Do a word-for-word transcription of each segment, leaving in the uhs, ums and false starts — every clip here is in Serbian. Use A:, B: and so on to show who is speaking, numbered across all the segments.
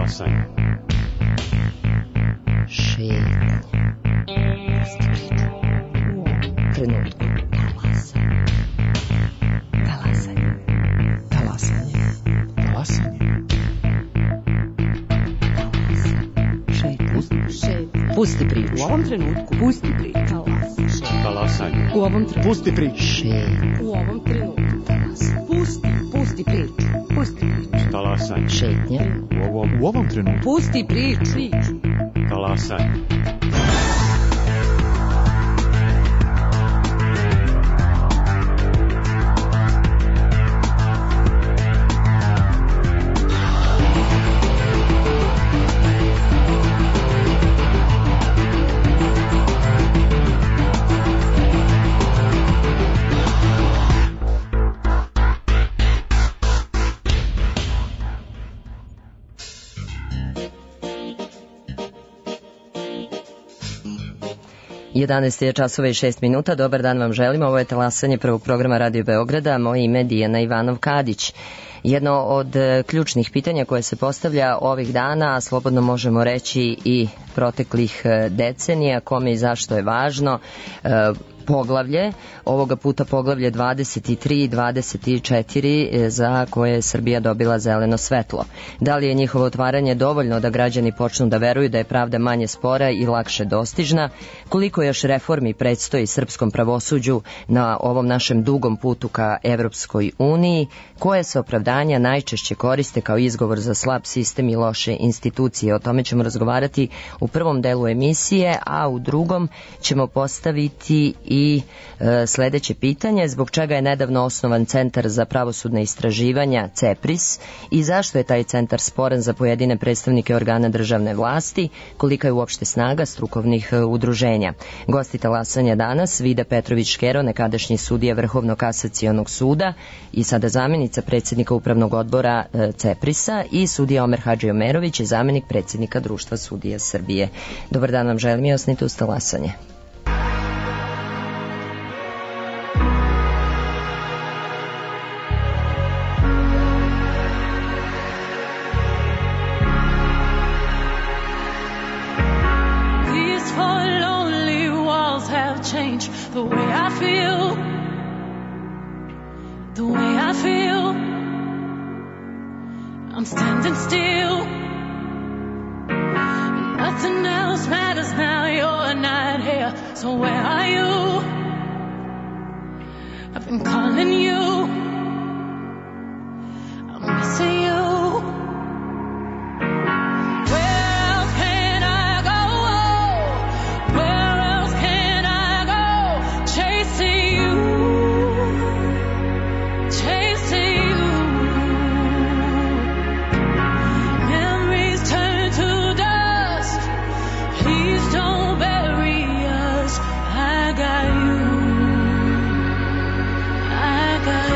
A: Talasanje.
B: Šetnje. Trenutku. Talasanje. Talasanje.
C: Talasanje.
B: Šetnje. Šetnje. Pusti priču.
D: U ovom trenutku. Pusti priču.
A: Talasanje.
D: U ovom trenutku.
C: Pusti priču.
B: Šetnje.
D: U ovom trenutku. Pusti. Pusti priču. Pusti priču.
A: Talasanje.
B: Šetnje.
C: U ovom, u ovom trenutku.
D: Pusti priču. Priču.
A: Talasanje.
B: jedanaest je časova i šest minuta. Dobar dan vam želimo. Ovo je talasanje prvog programa Radio Beograda. Moje ime je Dijana Ivanov-Kadić. Jedno od ključnih pitanja koje se postavlja ovih dana, a slobodno možemo reći i proteklih decenija, kome i zašto je važno, poglavlje, ovoga puta poglavlje dvadeset tri i dvadeset četiri za koje je Srbija dobila zeleno svetlo. Da li je njihovo otvaranje dovoljno da građani počnu da veruju da je pravda manje spora i lakše dostižna? Koliko još reformi predstoji srpskom pravosuđu na ovom našem dugom putu ka Evropskoj uniji? Koje se opravdanja najčešće koriste kao izgovor za slab sistem i loše institucije? O tome ćemo razgovarati u prvom delu emisije, a u drugom ćemo postaviti i I e, sledeće pitanje, zbog čega je nedavno osnovan Centar za pravosudne istraživanja CEPRIS i zašto je taj centar sporan za pojedine predstavnike organa državne vlasti, kolika je uopšte snaga strukovnih e, udruženja. Gosti talasanja danas Vida Petrović-Škero, nekadašnji sudija Vrhovnog kasacionog suda i sada zamjenica predsjednika upravnog odbora e, CEPRIS-a, i sudija Omer Hadži-Omerović, zamjenik predsjednika Društva sudija Srbije. Dobar dan vam želim i osnite uz talasanje.
E: Change the way I feel, the way I feel. I'm standing still. Nothing else matters now. You're not here, so where are you? I've been calling you. I'm missing you. I got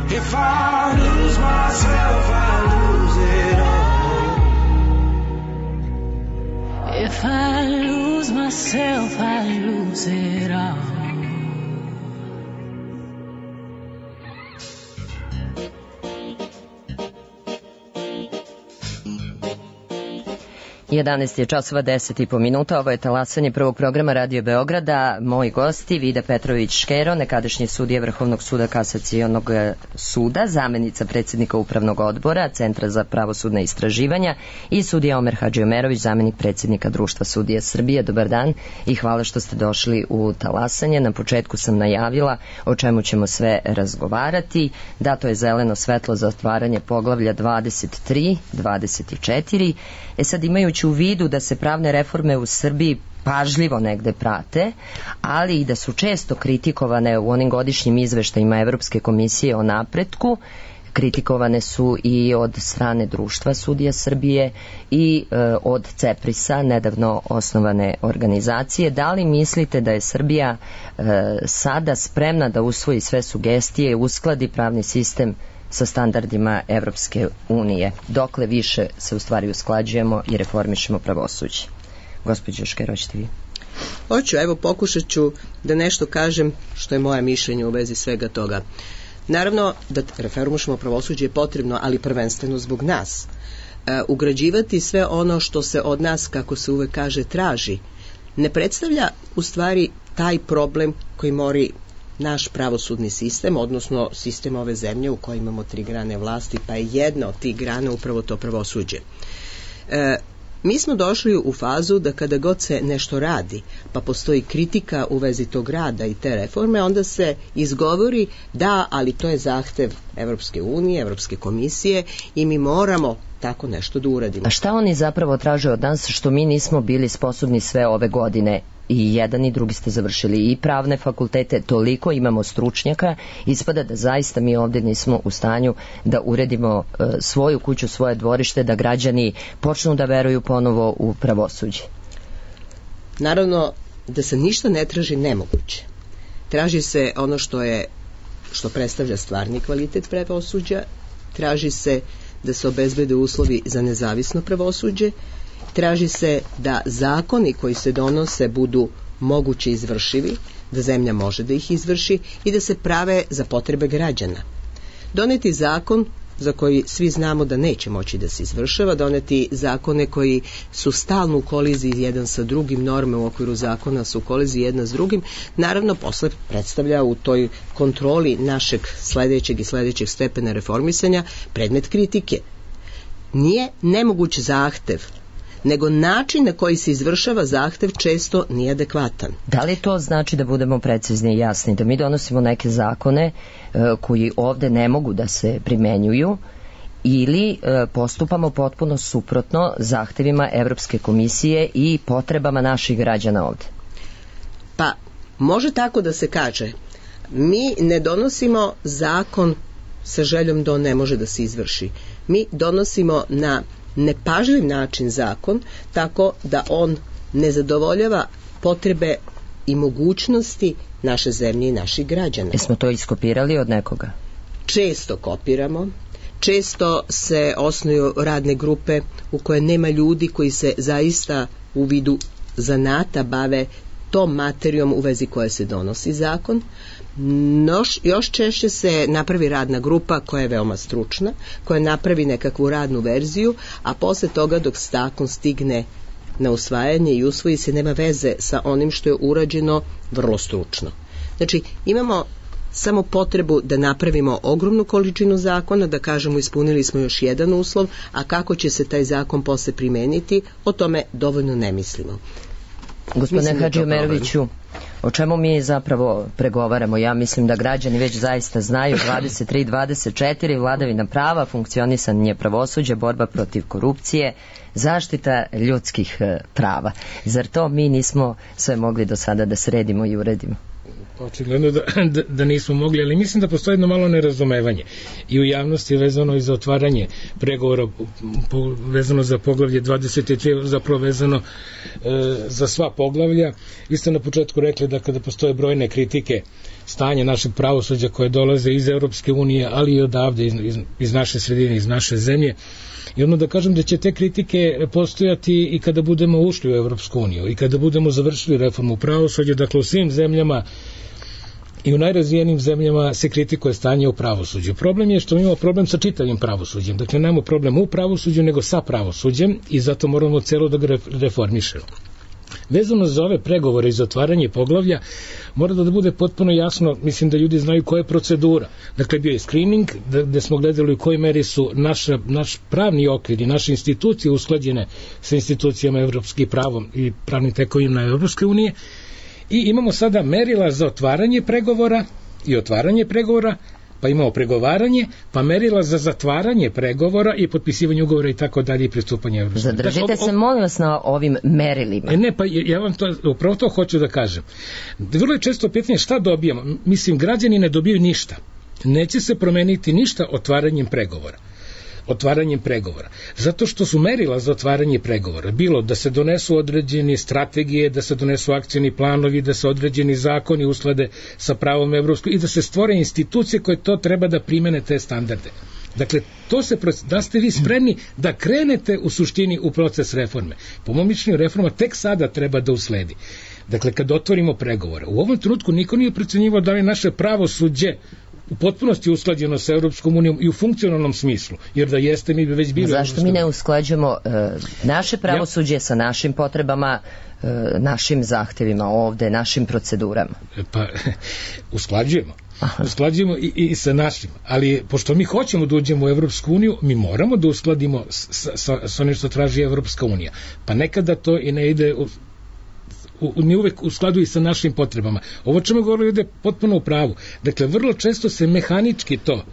F: If I lose myself, I lose it all.
E: If I lose myself, I lose it all.
B: jedanaest je časova deset i po minuta, ovo je talasanje prvog programa Radio Beograda. Moji gosti, Vida Petrović-Škero, nekadašnji sudija Vrhovnog suda Kasacionog suda, zamenica predsjednika Upravnog odbora Centra za pravosudne istraživanja, i sudija Omer Hadžiomerović, zamenik predsjednika Društva sudija Srbije. Dobar dan i hvala što ste došli u talasanje. Na početku sam najavila o čemu ćemo sve razgovarati. Dato je zeleno svetlo za otvaranje poglavlja dvadeset tri, dvadeset četiri. E sad, imajući u vidu da se pravne reforme u Srbiji pažljivo negde prate, ali i da su često kritikovane u onim godišnjim izveštajima Evropske komisije o napretku, kritikovane su i od strane Društva sudija Srbije i e, od CEPRIS-a, nedavno osnovane organizacije. Da li mislite da je Srbija e, sada spremna da usvoji sve sugestije i uskladi pravni sistem sa standardima Evropske unije? Dokle više se u stvari usklađujemo i reformišemo pravosuđe? Gospođo Škero, hoćete vi?
G: Hoću, evo pokušat ću da nešto kažem što je moje mišljenje u vezi svega toga. Naravno da reformišemo pravosuđe je potrebno, ali prvenstveno zbog nas. E, ugrađivati sve ono što se od nas, kako se uvek kaže, traži, ne predstavlja u stvari taj problem koji mori naš pravosudni sistem, odnosno sistem ove zemlje u kojoj imamo tri grane vlasti, pa je jedna od tih grana upravo to pravosuđe. E, mi smo došli u fazu da kada god se nešto radi, pa postoji kritika u vezi tog rada i te reforme, onda se izgovori da, ali to je zahtev Evropske unije, Evropske komisije i mi moramo tako nešto da uradimo.
B: A šta oni zapravo traže od nas što mi nismo bili sposobni sve ove godine? I jedan i drugi ste završili i pravne fakultete, toliko imamo stručnjaka, ispada da zaista mi ovdje nismo u stanju da uredimo e, svoju kuću, svoje dvorište, da građani počnu da veruju ponovo u pravosuđe.
G: Naravno da se ništa ne traži nemoguće. Traži se ono što je, što predstavlja stvarni kvalitet pravosuđa, traži se da se obezbede uslovi za nezavisno pravosuđe, traži se da zakoni koji se donose budu moguće izvršivi, da zemlja može da ih izvrši i da se prave za potrebe građana. Doneti zakon za koji svi znamo da neće moći da se izvršava, doneti zakone koji su stalno u koliziji jedan sa drugim, norme u okviru zakona su u koliziji jedna s drugim, naravno posle predstavlja u toj kontroli našeg sledećeg i sledećeg stepena reformisanja predmet kritike. Nije nemoguć zahtev, nego način na koji se izvršava zahtev često nije adekvatan.
B: Da li to znači, da budemo precizni i jasni, da mi donosimo neke zakone e, koji ovde ne mogu da se primenjuju, ili e, postupamo potpuno suprotno zahtevima Evropske komisije i potrebama naših građana ovde?
G: Pa, može tako da se kaže. Mi ne donosimo zakon sa željom da on ne može da se izvrši. Mi donosimo na nepažljiv način zakon, tako da on ne zadovoljava potrebe i mogućnosti naše zemlje i naših građana.
B: Jesmo to iskopirali od nekoga?
G: Često kopiramo, često se osnuju radne grupe u koje nema ljudi koji se zaista u vidu zanata bave tom materijom u vezi koje se donosi zakon. Noš, još češće se napravi radna grupa koja je veoma stručna, koja napravi nekakvu radnu verziju, a posle toga dok zakon stigne na usvajanje i usvoji se, nema veze sa onim što je urađeno vrlo stručno. Znači, imamo samo potrebu da napravimo ogromnu količinu zakona, da kažemo ispunili smo još jedan uslov, a kako će se taj zakon posle primeniti, o tome dovoljno ne mislimo.
B: Gospodine Hadžiomeroviću, o čemu mi zapravo pregovaramo? Ja mislim da građani već zaista znaju. Dvadeset tri dvadeset četiri, vladavina prava, funkcionisanje pravosuđa, borba protiv korupcije, zaštita ljudskih prava. Zar to mi nismo sve mogli do sada da sredimo i uredimo?
H: Očigledno da, da, da nismo mogli, ali mislim da postoji jedno malo nerazumevanje i u javnosti vezano i za otvaranje pregovora po, vezano za poglavlje dvadeset tri, zapravo vezano e, za sva poglavlja. Vi ste na početku rekli da kada postoje brojne kritike stanje našeg pravosuđa koje dolaze iz Europske unije, ali i odavde, iz, iz, iz naše sredine, iz naše zemlje. I ono da kažem da će te kritike postojati i kada budemo ušli u Europsku uniju i kada budemo završili reformu pravosuđa, dakle u svim zemljama i u najrazvijenim zemljama se kritikuje stanje u pravosuđu. Problem je što imamo problem sa čitavim pravosuđem. Dakle, nemamo problem u pravosuđu, nego sa pravosuđem i zato moramo celo da ga reformišemo. Vezano za ove pregovore i zatvaranje poglavlja, mora da bude potpuno jasno, mislim da ljudi znaju koja je procedura. Dakle, bio je screening, gde smo gledali u kojoj meri su naša, naš pravni okvir i naše institucije usklađene sa institucijama evropskih pravom i pravnim tekovinama Evropske unije. I imamo sada merila za otvaranje pregovora i otvaranje pregovora, pa imamo pregovaranje, pa merila za zatvaranje pregovora i potpisivanje ugovora i tako dalje i pristupanje Evropske.
B: Zadržite dakle, se, molim vas, na ovim merilima.
H: Ne, pa ja vam to, upravo to hoću da kažem. Vrlo je često pitanje šta dobijamo. Mislim, građani ne dobiju ništa. Neće se promeniti ništa otvaranjem pregovora. otvaranjem pregovora. Zato što su merila za otvaranje pregovora bilo da se donesu određene strategije, da se donesu akcioni planovi, da se određeni zakoni usklade sa pravom evropskom i da se stvore institucije koje to treba da primene te standarde. Dakle, to se, da ste vi spremni da krenete u suštini u proces reforme. Po mom mišljenju, reforma tek sada treba da usledi. Dakle, kad otvorimo pregovore. U ovom trenutku niko nije procenjivao da li naše pravosuđe u potpunosti usklađeno sa Europskom unijom i u funkcionalnom smislu, jer da jeste mi bi već bili...
B: Zašto mi ne usklađujemo uh, naše pravosuđe ja. sa našim potrebama, uh, našim zahtevima ovde, našim procedurama?
H: Pa, usklađujemo. Aha. Usklađujemo i, i sa našim, ali pošto mi hoćemo da uđemo u Evropsku uniju, mi moramo da uskladimo sa, sa, sa onim što traži Evropska unija. Pa nekada to i ne ide... U, U, ni uvek u skladu i sa našim potrebama. Ovo čemu govorili ide potpuno u pravu. Dakle, vrlo često se mehanički to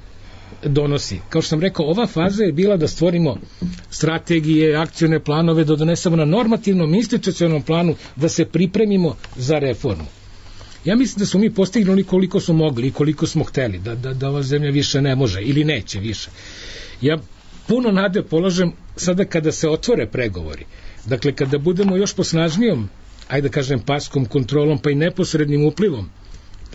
H: donosi. Kao što sam rekao, ova faza je bila da stvorimo strategije, akcione planove, da donesemo na normativnom institucionalnom planu, da se pripremimo za reformu. Ja mislim da smo mi postignuli koliko smo mogli i koliko smo hteli, da, da, da ova zemlja više ne može ili neće više. Ja puno nade polažem sada kada se otvore pregovori. Dakle, kada budemo još posnažnijom, ajde da kažem, paskom, kontrolom, pa i neposrednim uplivom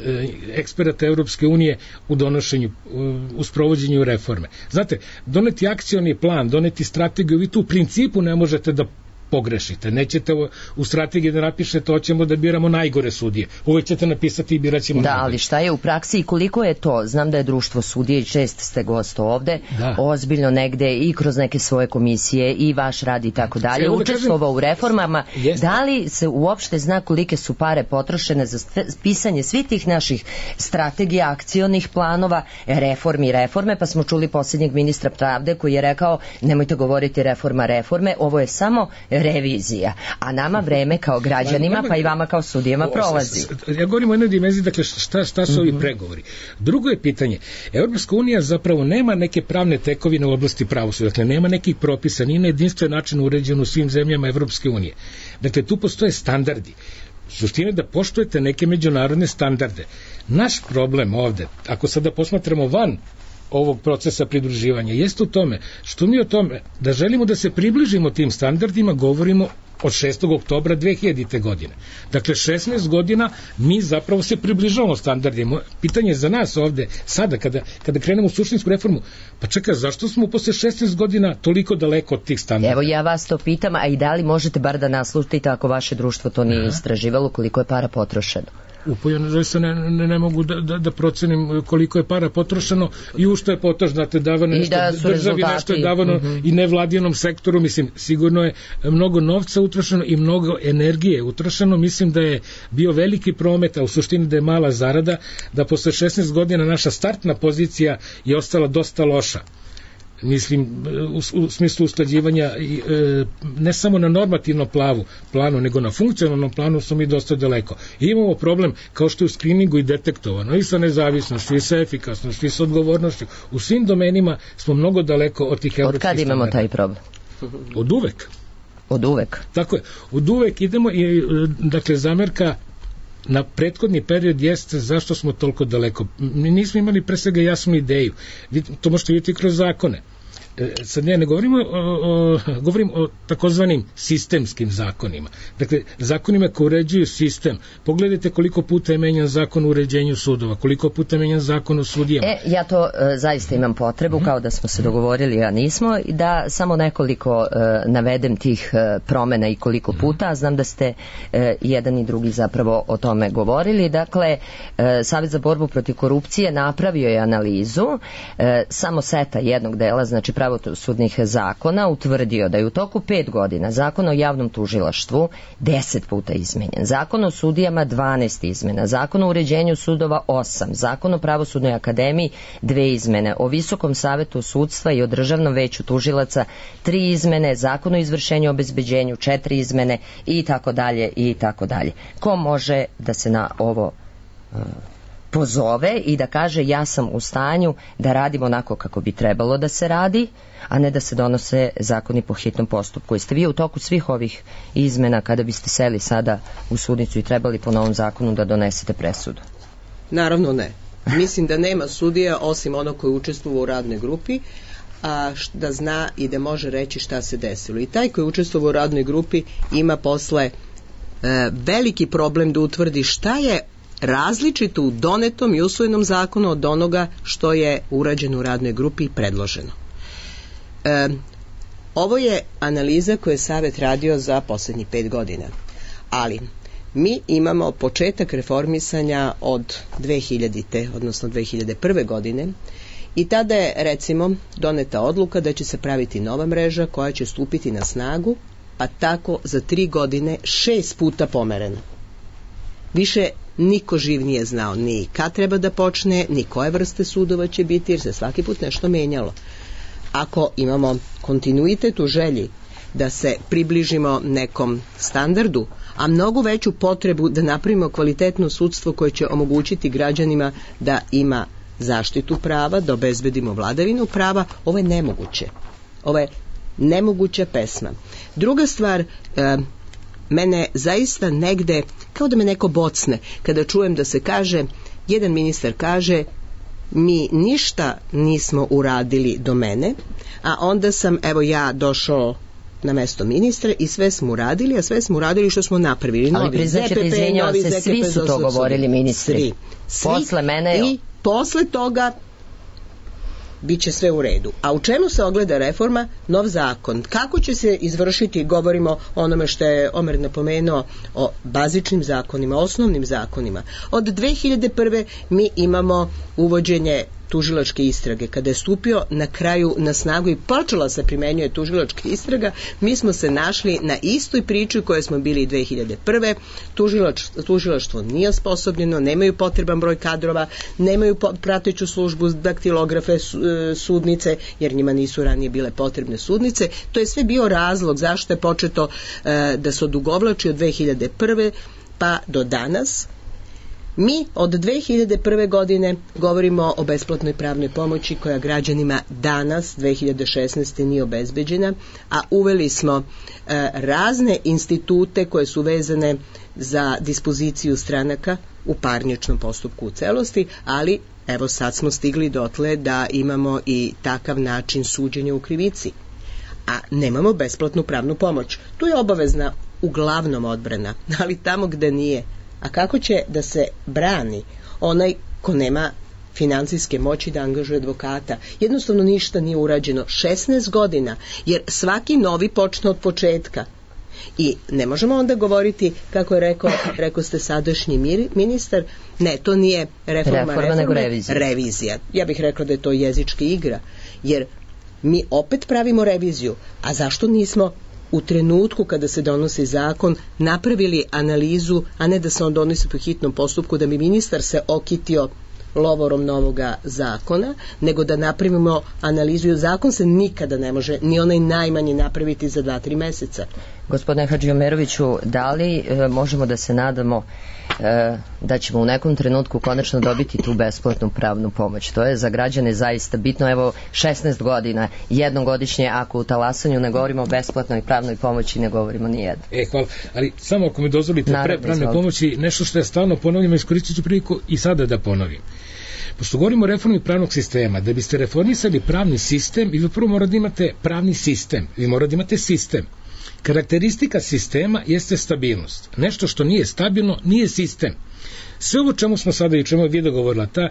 H: e, eksperata Evropske unije u donošenju, u, u sprovođenju reforme. Znate, doneti akcioni plan, doneti strategiju, vi tu u principu ne možete da pogrešite. Nećete u, u strategiji da napišete hoćemo da biramo najgore sudije. Uvek ćete napisati i birat ćemo
B: da,
H: najgore.
B: Ali šta je u praksi i koliko je to? Znam da je društvo sudije i čest ste gost ovde, da. Ozbiljno negde i kroz neke svoje komisije i vaš rad i tako dalje, učestvovao u reformama. Jeste. Da li se uopšte zna kolike su pare potrošene za pisanje svih tih naših strategija, akcionih planova, reformi, reforme, pa smo čuli posljednjeg ministra pravde koji je rekao nemojte govoriti reforma, reforme, ovo je samo revizija, a nama vreme kao građanima, pa i vama kao sudijama prolazi.
H: Ja govorim o jednoj dimenziji, dakle šta, šta su ovi pregovori. Drugo je pitanje, Evropska unija zapravo nema neke pravne tekovine u oblasti pravosuđa, dakle nema nekih propisa, nije na jedinstven način uređen u svim zemljama Evropske unije. Dakle, tu postoje standardi. Suština je da poštujete neke međunarodne standarde. Naš problem ovde, ako sada posmatramo van ovog procesa pridruživanja, jeste u tome što mi o tome da želimo da se približimo tim standardima govorimo od šestog oktobra dve hiljadite. godine. Dakle, šesnaest godina mi zapravo se približavamo standardima. Pitanje za nas ovde, sada, kada, kada krenemo u suštinsku reformu, pa čekaj, zašto smo posle šesnaest godina toliko daleko od tih standarda?
B: Evo, ja vas to pitam, a i da li možete bar da naslutite ako vaše društvo to nije istraživalo, koliko je para potrošeno?
H: Upojeno, zaista ne, ne, ne mogu da, da, da procenim koliko je para potrošeno i u što je potrošeno, znate, davano nešto
B: da
H: državi,
B: rezultati.
H: Nešto je davano mm-hmm. i nevladinom sektoru, mislim, sigurno je mnogo novca utrošeno i mnogo energije utrošeno, mislim da je bio veliki promet, a u suštini da je mala zarada, da posle šesnaest godina naša startna pozicija je ostala dosta loša. Mislim, u, u smislu usklađivanja e, ne samo na normativnom plavu, planu, nego na funkcionalnom planu smo mi dosta daleko. I imamo problem, kao što je u skriningu i detektovano, i sa nezavisnošću, i sa efikasnošću, i sa odgovornošću. U svim domenima smo mnogo daleko od tih evropskih standarda.
B: Od kad imamo taj problem?
H: Od uvek.
B: Od uvek?
H: Tako je. Od uvek idemo i, dakle, zamerka na prethodni period jeste zašto smo toliko daleko. Mi nismo imali pre svega jasnu ideju. To možete vidjeti kroz zakone. sad ja ne govorimo o, o, govorim o takozvanim sistemskim zakonima. Dakle, zakonima koji uređuju sistem. Pogledajte koliko puta je menjan zakon o uređenju sudova, koliko puta je menjan zakon o sudijama.
B: E, ja to e, zaista imam potrebu, mm-hmm. kao da smo se dogovorili, a nismo, da samo nekoliko e, navedem tih e, promena i koliko puta, a znam da ste e, jedan i drugi zapravo o tome govorili. Dakle, e, Savjet za borbu protiv korupcije napravio je analizu, e, samo seta jednog dela, znači pravosudnih zakona, utvrdio da je u toku pet godina Zakon o javnom tužilaštvu deset puta izmenjen, Zakon o sudijama dvanaest izmena, Zakon o uređenju sudova osam, Zakon o pravosudnoj akademiji dve izmene, o Visokom savetu sudstva i o Državnom veću tužilaca tri izmene, Zakon o izvršenju i obezbeđenju četiri izmene i tako dalje i tako dalje. Ko može da se na ovo uh, pozove i da kaže ja sam u stanju da radim onako kako bi trebalo da se radi, a ne da se donose zakoni po hitnom postupku. Jeste vi u toku svih ovih izmena, kada biste seli sada u sudnicu i trebali po novom zakonu da donesete presudu?
G: Naravno ne. Mislim da nema sudija osim onog koji učestvuje u radnoj grupi, a da zna i da može reći šta se desilo. I taj koji učestvuje u radnoj grupi ima posle e, veliki problem da utvrdi šta je različito u donetom i usvojenom zakonu od onoga što je urađeno u radnoj grupi i predloženo. E, ovo je analiza koju je Savet radio za poslednjih pet godina, ali mi imamo početak reformisanja od dve hiljadite, odnosno dve hiljade prve godine, i tada je, recimo, doneta odluka da će se praviti nova mreža koja će stupiti na snagu, pa tako za tri godine šest puta pomereno. Više niko živ nije znao ni kad treba da počne, ni koje vrste sudova će biti, jer se svaki put nešto menjalo. Ako imamo kontinuitet u želji da se približimo nekom standardu, a mnogo veću potrebu da napravimo kvalitetno sudstvo koje će omogućiti građanima da ima zaštitu prava, da obezbedimo vladavinu prava, ovo je nemoguće. Ovo je nemoguća pesma. Druga stvar, e, mene zaista negde, kao da me neko bocne, kada čujem da se kaže, jedan ministar kaže, mi ništa nismo uradili do mene, a onda sam, evo ja, došao na mesto ministra i sve smo uradili, a sve smo uradili što smo napravili.
B: Ali priznaćete, izvinjavam se, svi su to govorili ministri.
G: Svi. Svi.
B: Posle mene...
G: I posle toga bit će sve u redu. A u čemu se ogleda reforma? Nov zakon. Kako će se izvršiti, govorimo o onome što je Omer napomenuo, o bazičnim zakonima, osnovnim zakonima. Od dve hiljade prve mi imamo uvođenje tužilačke istrage. Kada je stupio na kraju na snagu i počela se primenjuje tužilačka istraga, mi smo se našli na istoj priči koje smo bili i dve hiljade prve. Tužilač, tužilaštvo nije osposobljeno, nemaju potreban broj kadrova, nemaju prateću službu, daktilografe, sudnice, jer njima nisu ranije bile potrebne sudnice. To je sve bio razlog zašto je početo e, da se odugovlači od dve hiljade prve pa do danas. Mi od dve hiljade prve godine govorimo o besplatnoj pravnoj pomoći koja građanima danas, dve hiljade šesnaeste. nije obezbeđena, a uveli smo e, razne institute koje su vezane za dispoziciju stranaka u parničnom postupku u celosti, ali evo sad smo stigli dotle da imamo i takav način suđenja u krivici, a nemamo besplatnu pravnu pomoć. Tu je obavezna uglavnom odbrana, ali tamo gde nije. A kako će da se brani onaj ko nema financijske moći da angažuje advokata? Jednostavno ništa nije urađeno. šesnaest godina, jer svaki novi počne od početka. I ne možemo onda govoriti, kako je rekao, rekao ste sadašnji ministar, ne, to nije reforma,
B: reforma,
G: reforma
B: nego revizija.
G: revizija. Ja bih rekla da je to jezička igra, jer mi opet pravimo reviziju. A zašto nismo u trenutku kada se donosi zakon napravili analizu, a ne da se on donosi po hitnom postupku, da bi ministar se okitio lovorom novoga zakona, nego da napravimo analizu, jer zakon se nikada ne može ni onaj najmanji napraviti za dva, tri meseca.
B: Gospodine Hadžiomeroviću, da li e, možemo da se nadamo e, da ćemo u nekom trenutku konačno dobiti tu besplatnu pravnu pomoć? To je za građane zaista bitno. Evo, šesnaest godina, jednom godišnje, ako u talasanju ne govorimo o besplatnoj pravnoj pomoći, ne govorimo ni jedno.
H: E, hvala. Ali samo ako mi dozvolite, pre pravne pomoći, nešto što je stalno ponavljamo, iskoristit ću priliku i sada da ponovim. pošto govorimo o reformi pravnog sistema, da biste reformisali pravni sistem, vi prvo morate da imate pravni sistem, vi morate da imate sistem. Karakteristika sistema jeste stabilnost. Nešto što nije stabilno nije sistem. Sve ovo čemu smo sada i čemu je Vida govorila, ta,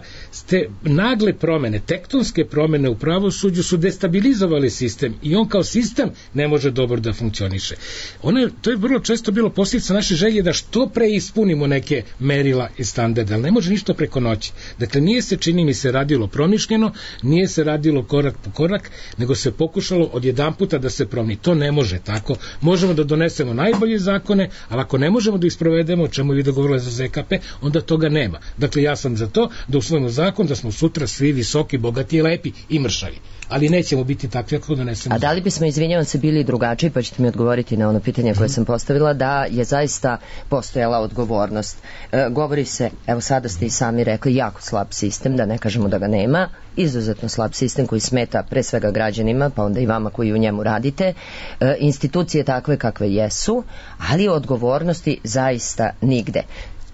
H: te nagle promene, tektonske promene u pravosuđu su destabilizovali sistem i on kao sistem ne može dobro da funkcioniše. Ono je, to je vrlo često bilo posljedica naše želje da što pre ispunimo neke merila i standarde, ali ne može ništa preko noći. Dakle, nije se, čini mi se, radilo promišljeno, nije se radilo korak po korak, nego se pokušalo odjedanputa da se promeni. To ne može tako. Možemo da donesemo najbolje zakone, ali ako ne možemo da isprovedemo, o čemu je Vida govorila za Z K P, onda toga nema. Dakle, ja sam za to da usvojimo zakon da smo sutra svi visoki, bogati i lepi i mršavi. Ali nećemo biti takvi ako donesemo.
B: A da li bismo, izvinjavam se, bili drugačiji, pa ćete mi odgovoriti na ono pitanje koje sam postavila, da je zaista postojala odgovornost. E, govori se, evo sada ste i sami rekli, jako slab sistem, da ne kažemo da ga nema, izuzetno slab sistem koji smeta pre svega građanima, pa onda i vama koji u njemu radite, e, institucije takve kakve jesu, ali odgovornosti zaista nigde.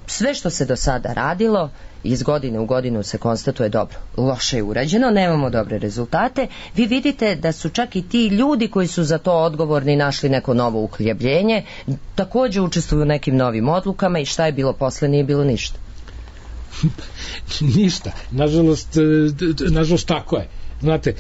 B: Sve što se do sada radilo, iz godine u godinu se konstatuje dobro, loše je urađeno, nemamo dobre rezultate. Vi vidite da su čak i ti ljudi koji su za to odgovorni našli neko novo uhljebljenje, takođe učestvuju u nekim novim odlukama i šta je bilo posle, nije bilo ništa.
H: Ništa. Nažalost, nažalost tako je. Znate,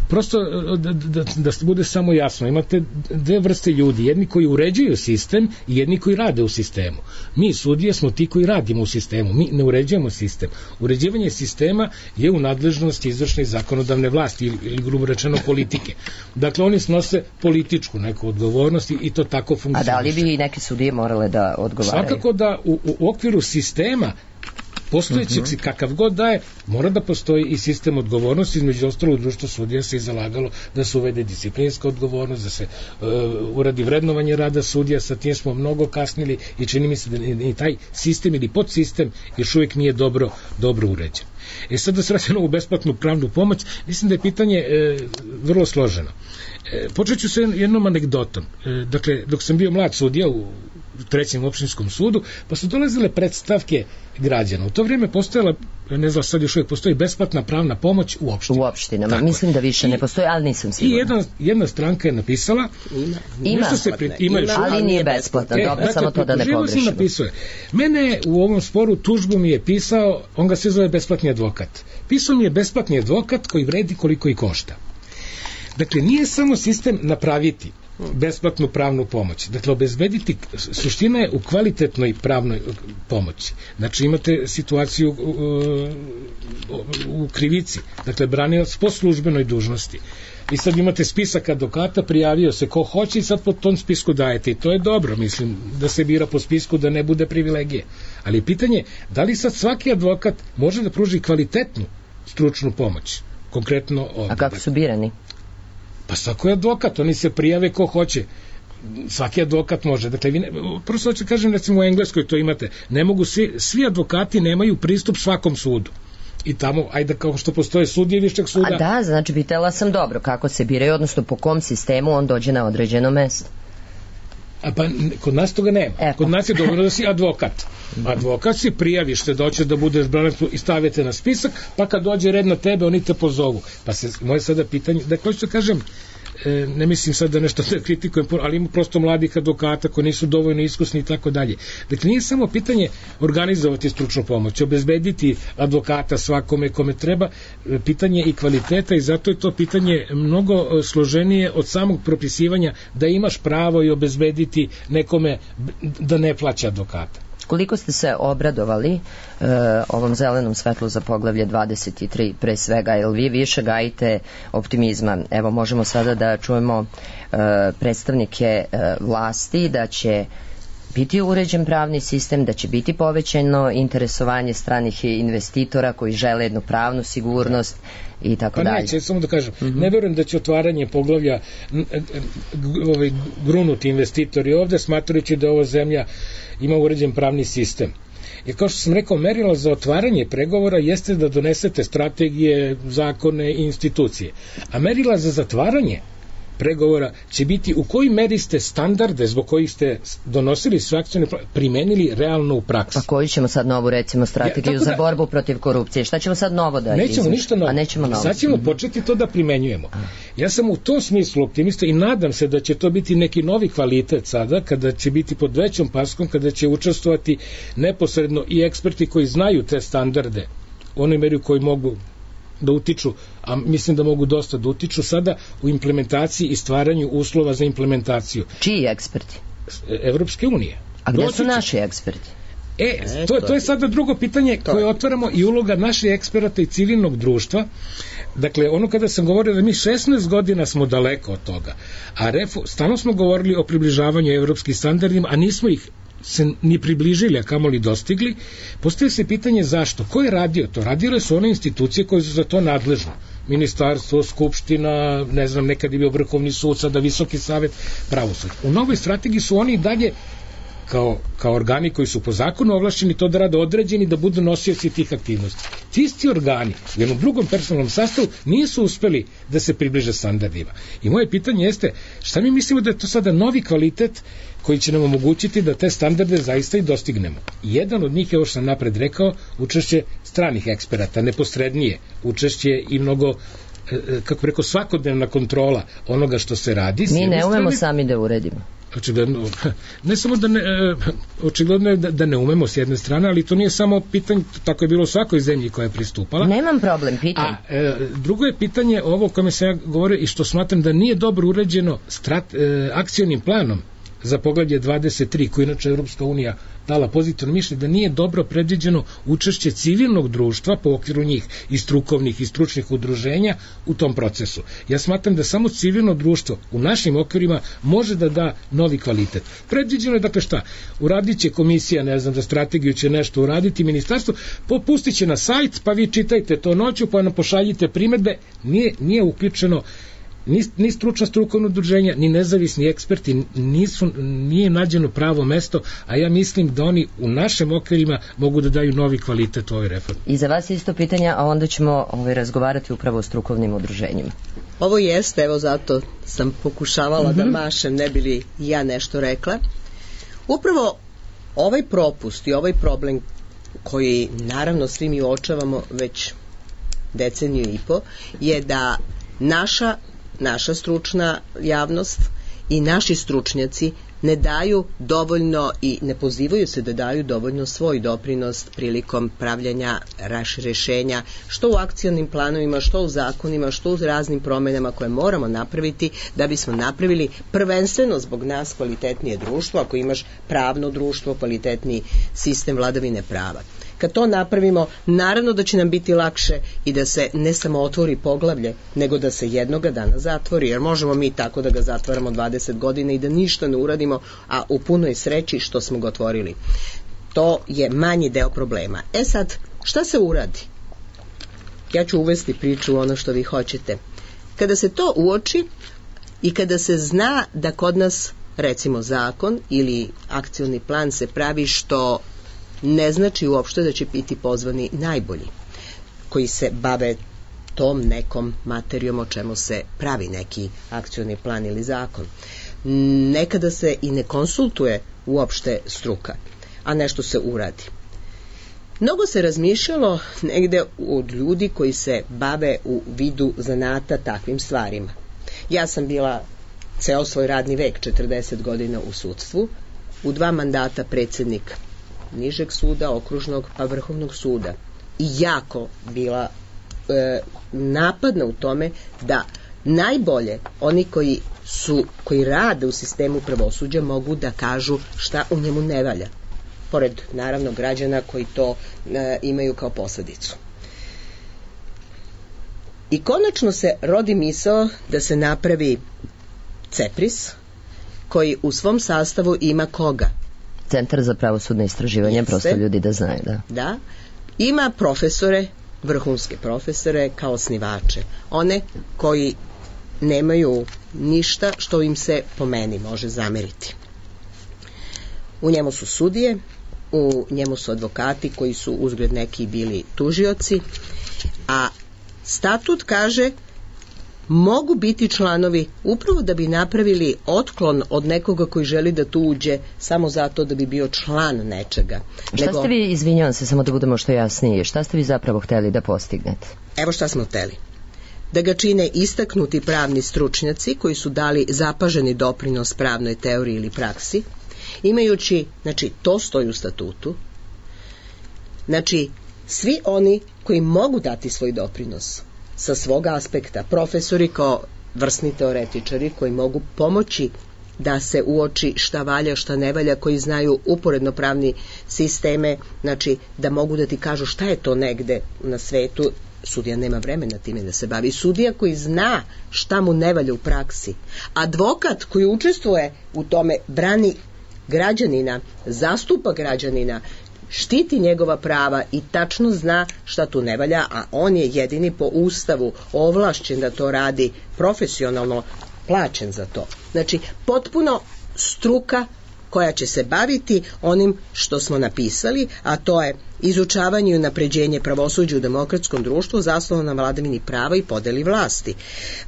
H: prosto da, da, da bude samo jasno, imate dve vrste ljudi, jedni koji uređuju sistem i jedni koji rade u sistemu. Mi sudije smo ti koji radimo u sistemu, mi ne uređujemo sistem. Uređivanje sistema je u nadležnosti izvršne i zakonodavne vlasti ili, ili grubo rečeno politike. Dakle, oni snose političku neku odgovornost i to tako funkcioniše.
B: A da li bi i neke sudije morale da odgovaraju?
H: Svakako da u, u okviru sistema postojećeg uh-huh. kakav god da je, mora da postoji i sistem odgovornosti. Između ostalog, društvo sudija se i zalagalo da se uvede disciplinska odgovornost, da se uh, uradi vrednovanje rada sudija, sa tim smo mnogo kasnili i čini mi se da ni taj sistem ili podsistem još uvijek nije dobro, dobro uređen. E sad da se vratim na ovu besplatnu pravnu pomoć, mislim da je pitanje e, vrlo složeno. E, počet ću sa jednom anegdotom. E, dakle, dok sam bio mlad sudija u trećem opštinskom sudu, pa su dolazile predstavke građana. U to vrijeme postojala, ne znam, sad još uvijek postoji besplatna pravna pomoć u opštinama.
B: U opštinama, tako, mislim da više I, ne postoji, ali nisam sigurna.
H: I jedna, jedna stranka je napisala,
B: ima, ima,
H: se pri, ima, ima
B: ali nije besplatna, e, dobro, dakle, samo to da ne pogrešimo.
H: Napisuje. Mene u ovom sporu tužbu mi je pisao, on ga se zove besplatni advokat. Pisao mi je besplatni advokat koji vredi koliko i košta. Dakle, nije samo sistem napraviti besplatnu pravnu pomoć. Dakle, obezbediti, suština je u kvalitetnoj pravnoj pomoći. Znači, imate situaciju u, u, u krivici. Dakle, branilac po službenoj dužnosti. I sad imate spisak advokata, prijavio se ko hoće i sad po tom spisku dajete. I to je dobro, mislim, da se bira po spisku, da ne bude privilegije. Ali pitanje, da li sad svaki advokat može da pruži kvalitetnu stručnu pomoć? Konkretno ovdje.
B: A kako su birani?
H: Pa svako je advokat, oni se prijave ko hoće. Svaki advokat može. Dakle, vi ne, prosto hoću kažem, recimo u Engleskoj to imate, ne mogu svi, svi advokati nemaju pristup svakom sudu. I tamo, ajde kao što postoje sudije višeg suda.
B: A da, znači pitala sam dobro, kako se biraju, odnosno po kom sistemu on dođe na određeno mesto.
H: A pa kod nas toga nema. E, kod nas je dobro da si advokat. Advokat si prijaviš se da hoćeš da budeš branac i stavite na spisak, pa kad dođe red na tebe, oni te pozovu. Pa se moje sada pitanje, da hoću da kažem, e, ne mislim sad da nešto da kritikujem, ali ima prosto mladih advokata koji nisu dovoljno iskusni i tako dalje. Dakle, nije samo pitanje organizovati stručnu pomoć, obezbediti advokata svakome kome treba, pitanje i kvaliteta i zato je to pitanje mnogo složenije od samog propisivanja da imaš pravo i obezbediti nekome da ne plaća advokata.
B: Koliko ste se obradovali e, ovom zelenom svetlu za poglavlje dvadeset tri pre svega, jer vi više gajite optimizma? Evo, možemo sada da čujemo e, predstavnike e, vlasti da će biti uređen pravni sistem, da će biti povećano interesovanje stranih investitora koji žele jednu pravnu sigurnost i tako
H: pa
B: dalje.
H: Pa neće, samo da kažem, mm-hmm. ne verujem da će otvaranje poglavlja ovaj, grunuti investitori ovde, smatrajući da ova zemlja ima uređen pravni sistem. Jer kao što sam rekao, merilo za otvaranje pregovora jeste da donesete strategije, zakone i institucije. A merila za zatvaranje pregovora će biti u kojoj meri ste standarde zbog kojih ste donosili sve akcione planove primenili realno u praksi.
B: Pa koju ćemo sad novu, recimo, strategiju ja, za borbu protiv korupcije? Šta ćemo sad novo da
H: nećemo
B: izmišljamo?
H: Ništa novo.
B: A nećemo novo.
H: Sad ćemo početi to da primenjujemo. Ja sam u tom smislu optimista i nadam se da će to biti neki novi kvalitet sada, kada će biti pod većom paskom, kada će učestvovati neposredno i eksperti koji znaju te standarde u onoj meri u kojoj mogu da utiču, a mislim da mogu dosta da utiču sada u implementaciji i stvaranju uslova za implementaciju.
B: Čiji eksperti?
H: Evropske unije.
B: A gde su naši eksperti?
H: E, to, to je sada drugo pitanje koje otvaramo i uloga naših eksperata i civilnog društva. Dakle, ono kada sam govorio da mi šesnaest godina smo daleko od toga, a refo, stalno smo govorili o približavanju evropskih standardima, a nismo ih se ni približili, a kamoli dostigli, postoje se pitanje zašto. Ko je radio to? Radile su one institucije koje su za to nadležne. Ministarstvo, skupština, ne znam, nekad je bio Vrhovni sud, sada Visoki savet pravosuđa. U novoj strategiji su oni dalje kao, kao organi koji su po zakonu ovlašćeni to da rade određeni, da budu nosioci tih aktivnosti. Ti isti organi u jednom drugom personalnom sastavu nisu uspeli da se približe standardima. I moje pitanje jeste, šta mi mislimo da je to sada novi kvalitet koji će nam omogućiti da te standarde zaista i dostignemo. Jedan od njih je, ovo što sam napred rekao, učešće stranih eksperata, neposrednije učešće i mnogo, kako rekao, svakodnevna kontrola onoga što se radi.
B: Mi ne umemo sami da uredimo.
H: Očigledno, ne samo da ne, očigledno je da, da ne umemo s jedne strane, ali to nije samo pitanje, tako je bilo u svakoj zemlji koja je pristupala.
B: Nemam problem, pitam.
H: A e, drugo je pitanje ovo o kome sam ja govorio i što smatram da nije dobro uređeno strat, e, akcionim planom za poglavlje dvadeset tri, koji inače Evropska unija dala pozitivno mišljenje, da nije dobro predviđeno učešće civilnog društva po okviru njih i strukovnih i stručnih udruženja u tom procesu. Ja smatram da samo civilno društvo u našim okvirima može da da novi kvalitet. Predviđeno je, dakle šta, uradit će komisija, ne znam, za strategiju će nešto uraditi, ministarstvo, popustit će na sajt, pa vi čitajte to noću, pa nam pošaljite primedbe, nije, nije uključeno Ni, ni stručna strukovna udruženja, ni nezavisni eksperti, nisu, nije nađeno pravo mesto, a ja mislim da oni u našim okvirima mogu da daju novi kvalitet u ovoj reformi.
B: I za vas isto pitanja, a onda ćemo ovaj, razgovarati upravo o strukovnim udruženjima.
G: Ovo jeste, evo zato sam pokušavala mm-hmm. da mašem, ne bi li ja nešto rekla. Upravo ovaj propust i ovaj problem koji naravno svi mi uočavamo već deceniju i po, je da naša naša stručna javnost i naši stručnjaci ne daju dovoljno i ne pozivaju se da daju dovoljno svoj doprinos prilikom pravljanja rešenja, što u akcionim planovima, što u zakonima, što u raznim promenama koje moramo napraviti da bismo napravili prvenstveno zbog nas kvalitetnije društvo, ako imaš pravno društvo, kvalitetniji sistem vladavine prava. Kad to napravimo, naravno da će nam biti lakše i da se ne samo otvori poglavlje, nego da se jednoga dana zatvori, jer možemo mi tako da ga zatvaramo dvadeset godina i da ništa ne uradimo, a u punoj sreći što smo ga otvorili. To je manji deo problema. E sad, šta se uradi? Ja ću uvesti priču u ono što vi hoćete. Kada se to uoči i kada se zna da kod nas, recimo, zakon ili akcioni plan se pravi što ne znači uopšte da će biti pozvani najbolji koji se bave tom nekom materijom o čemu se pravi neki akcioni plan ili zakon. Nekada se i ne konsultuje uopšte struka, a nešto se uradi. Mnogo se razmišljalo negde od ljudi koji se bave u vidu zanata takvim stvarima. Ja sam bila ceo svoj radni vek, četrdeset godina u sudstvu, u dva mandata predsednik nižeg suda, okružnog pa vrhovnog suda. I jako bila e, napadna u tome da najbolje oni koji su, koji rade u sistemu pravosuđa mogu da kažu šta u njemu ne valja. Pored, naravno, građana koji to e, imaju kao posledicu. I konačno se rodi misao da se napravi CEPRIS, koji u svom sastavu ima koga?
B: Centar za pravosudne istraživanje, Jeste. Prosto ljudi da znaju, da.
G: Da, ima profesore, vrhunske profesore kao osnivače, one koji nemaju ništa što im se po meni može zameriti. U njemu su sudije, u njemu su advokati koji su uzgled neki bili tužioci, a statut kaže mogu biti članovi upravo da bi napravili otklon od nekoga koji želi da tu uđe samo zato da bi bio član nečega.
B: Šta
G: Nego,
B: ste vi, izvinjavam se, samo da budemo što jasnije, šta ste vi zapravo hteli da postignete?
G: evo šta smo hteli. Da ga čine istaknuti pravni stručnjaci koji su dali zapaženi doprinos pravnoj teoriji ili praksi, imajući, znači to stoji u statutu, znači svi oni koji mogu dati svoj doprinos sa svog aspekta, profesori kao vrsni teoretičari koji mogu pomoći da se uoči šta valja, šta ne valja, koji znaju uporedno pravni sisteme, znači da mogu da ti kažu šta je to negde na svetu. Sudija nema vremena time da se bavi. Sudija koji zna šta mu ne valja u praksi. Advokat koji učestvuje u tome, brani građanina, zastupa građanina, štiti njegova prava i tačno zna šta tu ne valja, a on je jedini po Ustavu ovlašćen da to radi profesionalno, plaćen za to. Znači, potpuno struka koja će se baviti onim što smo napisali, a to je izučavanje i unapređenje pravosuđa u demokratskom društvu zasnovano na vladavini prava i podeli vlasti.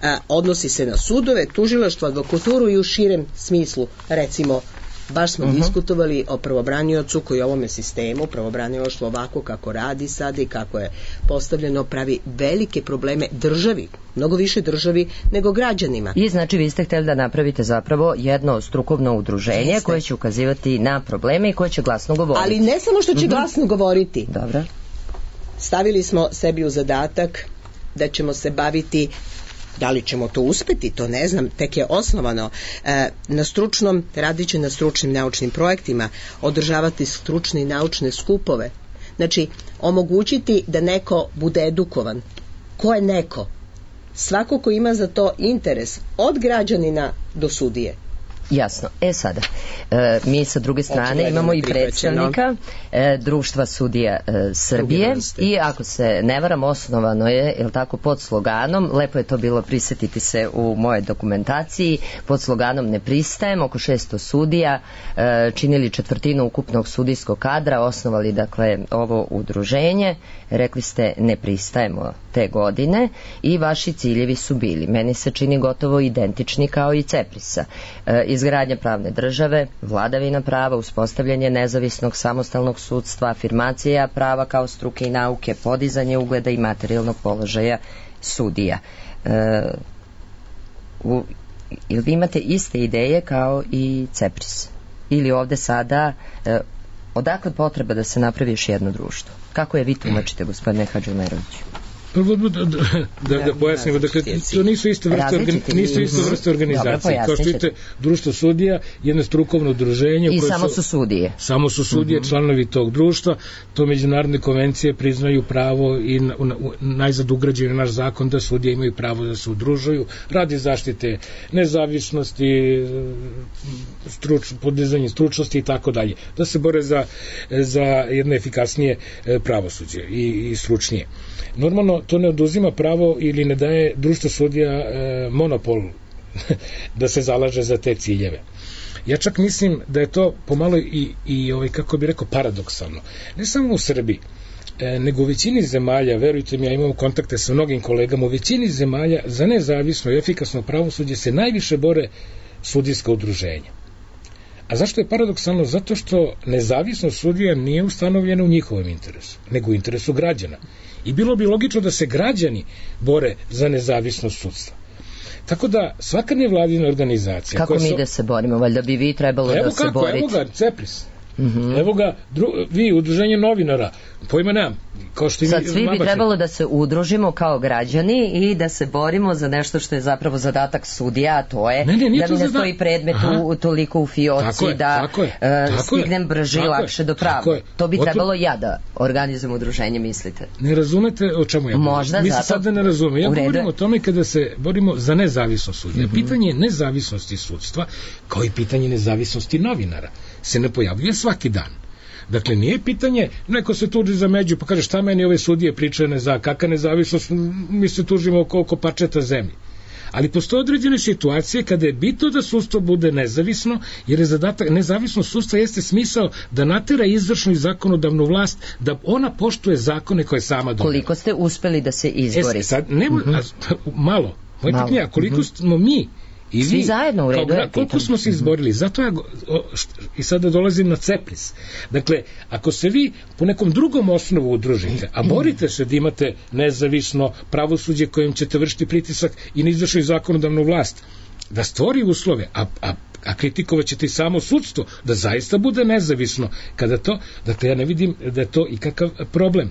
G: A, odnosi se na sudove, tužilaštvo, advokaturu i u širem smislu, recimo, baš smo uh-huh. diskutovali o pravobraniocu koji u ovome sistemu, pravobranilaštvo ovako kako radi sad i kako je postavljeno, pravi velike probleme državi, mnogo više državi nego građanima.
B: I znači vi ste htjeli da napravite zapravo jedno strukovno udruženje Jeste. koje će ukazivati na probleme i koje će glasno govoriti.
G: Ali ne samo što će uh-huh. glasno govoriti.
B: Dobro.
G: Stavili smo sebi u zadatak da ćemo se baviti, da li ćemo to uspeti, to ne znam, tek je osnovano, e, na stručnom, radit će na stručnim naučnim projektima, održavati stručne i naučne skupove, znači omogućiti da neko bude edukovan. Ko je neko? Svako ko ima za to interes, od građanina do sudije.
B: Jasno. E sada, e, mi sa druge strane Očigledno imamo i predstavnika e, Društva sudija e, Srbije i ako se ne varam, osnovano je, je li tako, pod sloganom, lepo je to bilo prisjetiti se u moje dokumentaciji, pod sloganom ne pristajem, oko šesto sudija, e, činili četvrtinu ukupnog sudijskog kadra, osnovali dakle ovo udruženje, rekli ste ne pristajemo te godine i vaši ciljevi su bili, meni se čini gotovo identični kao i Ceprisa. E, izgradnja pravne države, vladavina prava, uspostavljanje nezavisnog samostalnog sudstva, afirmacija prava kao struke i nauke, podizanje ugleda i materijalnog položaja sudija. E, u, ili vi imate iste ideje kao i Cepris? Ili ovde sada e, odakle potreba da se napravi još jedno društvo? Kako je vi tumačite, gospodine Hadžiomeroviću?
H: Prvo da, da, da, da pojasnimo, dakle, to nisu iste vrste, organi, nisu iste vrste organizacije. Dobro, kao što vidite, društvo sudija, jedno strukovno udruženje.
B: I samo su, su sudije.
H: Samo su sudije, uh-huh. članovi tog društva, to međunarodne konvencije priznaju pravo i na, na, najzad ugrađen naš zakon da sudije imaju pravo da se udružuju, radi zaštite nezavisnosti, struč, podizanje stručnosti i tako dalje. Da se bore za, za jedno efikasnije pravosuđe i, i stručnije. Normalno, to ne oduzima pravo ili ne daje društvo sudija e, monopol da se zalaže za te ciljeve. Ja čak mislim da je to pomalo i, i ovaj, kako bi rekao, paradoksalno. Ne samo u Srbiji, e, nego u većini zemalja, verujte mi, ja imam kontakte sa mnogim kolegama, u većini zemalja za nezavisno i efikasno pravosuđe se najviše bore sudijska udruženja. A zašto je paradoksalno? Zato što nezavisnost sudija nije ustanovljena u njihovom interesu, nego u interesu građana. I bilo bi logično da se građani bore za nezavisnost sudstva. Tako da svaka nevladina organizacija...
B: Kako mi so... da se borimo? Valjda bi vi trebalo
H: evo
B: da
H: kako,
B: se borite.
H: Evo ga, Cepris. Mm-hmm. Evo ga, dru, vi, udruženje novinara, pojma nemam. Kao što
B: Sad svi bi trebalo da se udružimo kao građani i da se borimo za nešto što je zapravo zadatak sudija, a to je ne, ne, da mi ne stoji predmet u, toliko u fioci, tako je, da tako je, tako stignem brže i lakše do prava. To bi trebalo ja da organizujem udruženje, mislite?
H: Ne razumete o čemu ja govorim?
B: Možda
H: mi
B: zato...
H: se sad ne razumemo. Ja govorim o tome kada se borimo za nezavisnost sudija. Mm-hmm. Pitanje nezavisnosti sudstva, kao i pitanje nezavisnosti novinara, se ne pojavljuje svaki dan. Dakle, nije pitanje, neko se tuži za među, pa kaže šta meni ove sudije pričaju ne za, kakva nezavisnost, mi se tužimo oko, oko parčeta zemlje. Ali postoje određene situacije kada je bitno da sudstvo bude nezavisno, jer je zadatak, nezavisnost sudstva jeste smisao da natera izvršnu i zakonodavnu vlast, da ona poštuje zakone koje sama donela.
B: Koliko ste uspeli da se izborite?
H: E, sad, ne, mm-hmm. malo, Moje pitanje je, koliko mm-hmm. smo mi i
B: svi
H: vi,
B: zajedno u redu,
H: kao, koliko smo se izborili, zato ja o, i sada dolazim na CEPRIS. Dakle, ako se vi po nekom drugom osnovu udružite, a borite se da imate nezavisno pravosuđe kojim ćete vršiti pritisak i na izvršnu i zakonodavnu vlast, da stvori uslove, a, a, a kritikovat ćete i samo sudstvo, da zaista bude nezavisno, kada to, dakle ja ne vidim da je to ikakav problem.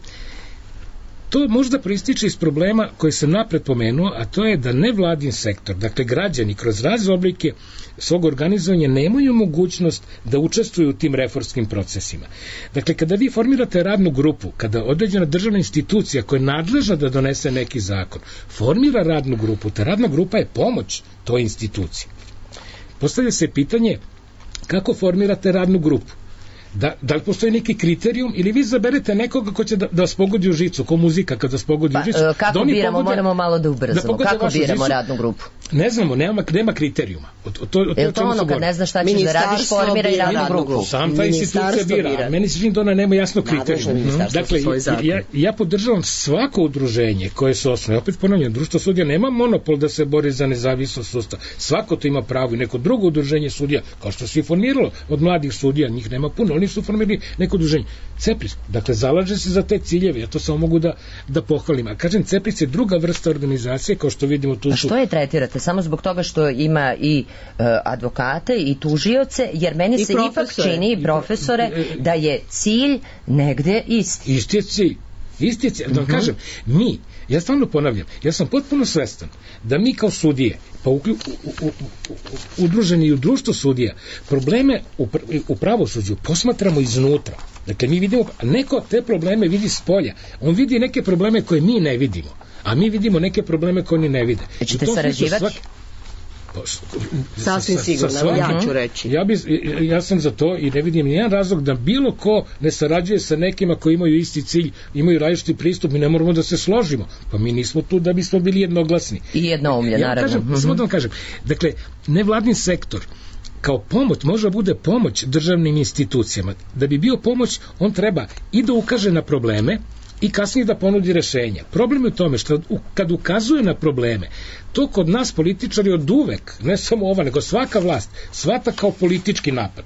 H: To možda proističe iz problema koji sam napred pomenuo, a to je da nevladin sektor, dakle građani kroz razne oblike svog organizovanja nemaju mogućnost da učestvuju u tim reformskim procesima. Dakle, kada vi formirate radnu grupu, kada određena državna institucija koja je nadležna da donese neki zakon, formira radnu grupu, ta radna grupa je pomoć toj instituciji. Postavlja se pitanje kako formirate radnu grupu. Da, da li postoji neki kriterijum ili vi zaberete nekoga ko će da, da vas pogodi u žicu, ko muzika kada vas pogodi
B: pa,
H: u žicu.
B: Kako
H: da
B: biramo,
H: pogode,
B: moramo malo da ubrzamo.
H: Da
B: kako biramo
H: žicu,
B: radnu grupu?
H: Ne znamo, nema, nema kriterijuma. O, o, to, o,
B: je li to ono kad ne znaš šta ćeš da radiš, formira i radnu grupu?
H: Sam ta institucija bira, bira. Meni se čini da ona nema jasno kriterijum. Dakle, ja, ja podržavam svako udruženje koje se osnoje. Opet ponavljam, društvo sudija nema monopol da se bori za nezavisnost sudstva. Svako to ima pravo i neko drugo udruženje sudija, kao što se i formiralo od mladih sudija, njih nema puno, oni su formirali neko udruženje. CEPRIS, dakle, zalaže se za te ciljeve, ja to samo mogu da, da pohvalim. A kažem, CEPRIS je druga vrsta organizacije, kao što vidimo tu su... A
B: što je tretirate? Samo zbog toga što ima i uh, advokate i tužioce, jer meni I se profesore. ipak čini, i profesore, da je cilj negde isti.
H: Isti je cilj. Isti je cilj. Da vam uh-huh. kažem, mi, ja stvarno ponavljam, ja sam potpuno svestan da mi kao sudije, pa u, u, u, u, udruženi i u društvu sudija, probleme u, u pravosuđu posmatramo iznutra. Dakle, mi vidimo, neko te probleme vidi s polja. On vidi neke probleme koje mi ne vidimo, a mi vidimo neke probleme koje oni ne vide.
B: Ćete sarađivati? Svaki...
G: Sasvim sigurno, ja ću reći.
H: Ja, bi, ja sam za to i ne vidim nijedan razlog da bilo ko ne sarađuje sa nekima koji imaju isti cilj, imaju različiti pristup, mi ne moramo da se složimo, pa mi nismo tu da bismo bili jednoglasni.
B: I jednoumlje, ja, naravno.
H: Kažem, mm-hmm. Samo da vam kažem, dakle, nevladin sektor kao pomoć, može da bude pomoć državnim institucijama. Da bi bio pomoć, on treba i da ukaže na probleme i kasnije da ponudi rešenja. Problem je u tome što kad ukazuje na probleme, to kod nas političari od uvek, ne samo ova, nego svaka vlast, svata kao politički napad.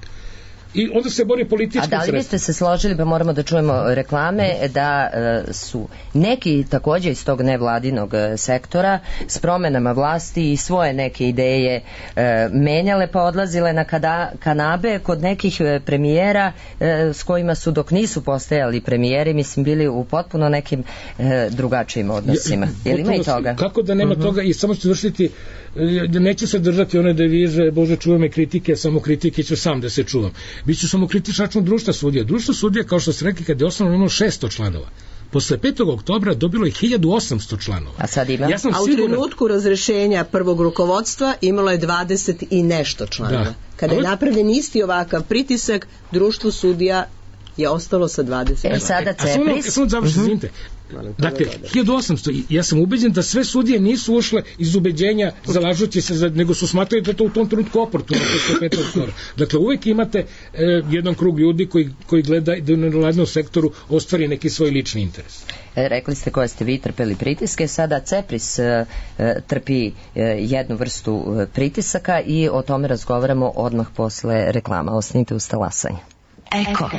H: I onda se bori političkim sredstvom.
B: A da li biste se složili, pa moramo da čujemo reklame, da e, su neki takođe iz tog nevladinog sektora s promenama vlasti i svoje neke ideje e, menjale pa odlazile na kada, kanabe kod nekih premijera e, s kojima su dok nisu postajali premijeri, mislim, bili u potpuno nekim e, drugačijim odnosima. Je, je li ima i toga?
H: Kako da nema uh-huh. toga i samo ću vršiti, neću se držati one devize, Bože, čuvam me kritike, samo kritike ću sam da se čuvam. Biću samo kritičan račun društva sudija. Društvo sudija, kao što ste rekli, kad je osnovno imalo šesto članova. Posle petog oktobra dobilo je hiljadu osamsto članova.
B: A sad ima?
H: Ja sam
G: A u
H: siguran...
G: trenutku razrešenja prvog rukovodstva imalo je dvadeset i nešto članova. Da. Kada je napravljen isti ovakav pritisak, društvo sudija je ostalo sa dvadeset.
B: E, sada CEPRIS.
H: Samo završi, izvinite. Dakle, hiljadu osamsto, ja sam ubeđen da sve sudije nisu ušle iz ubeđenja zalažući se, za, nego su smatrali da je to u tom trenutku oportuno. Dakle, uvek imate e, jedan krug ljudi koji, koji gleda da u nevladinom sektoru ostvari neki svoj lični interes.
B: E, rekli ste koje ste vi trpeli pritiske, sada CEPRIS e, trpi e, jednu vrstu e, pritisaka i o tome razgovaramo odmah posle reklama. Ostanite uz talasanje.
D: Eko.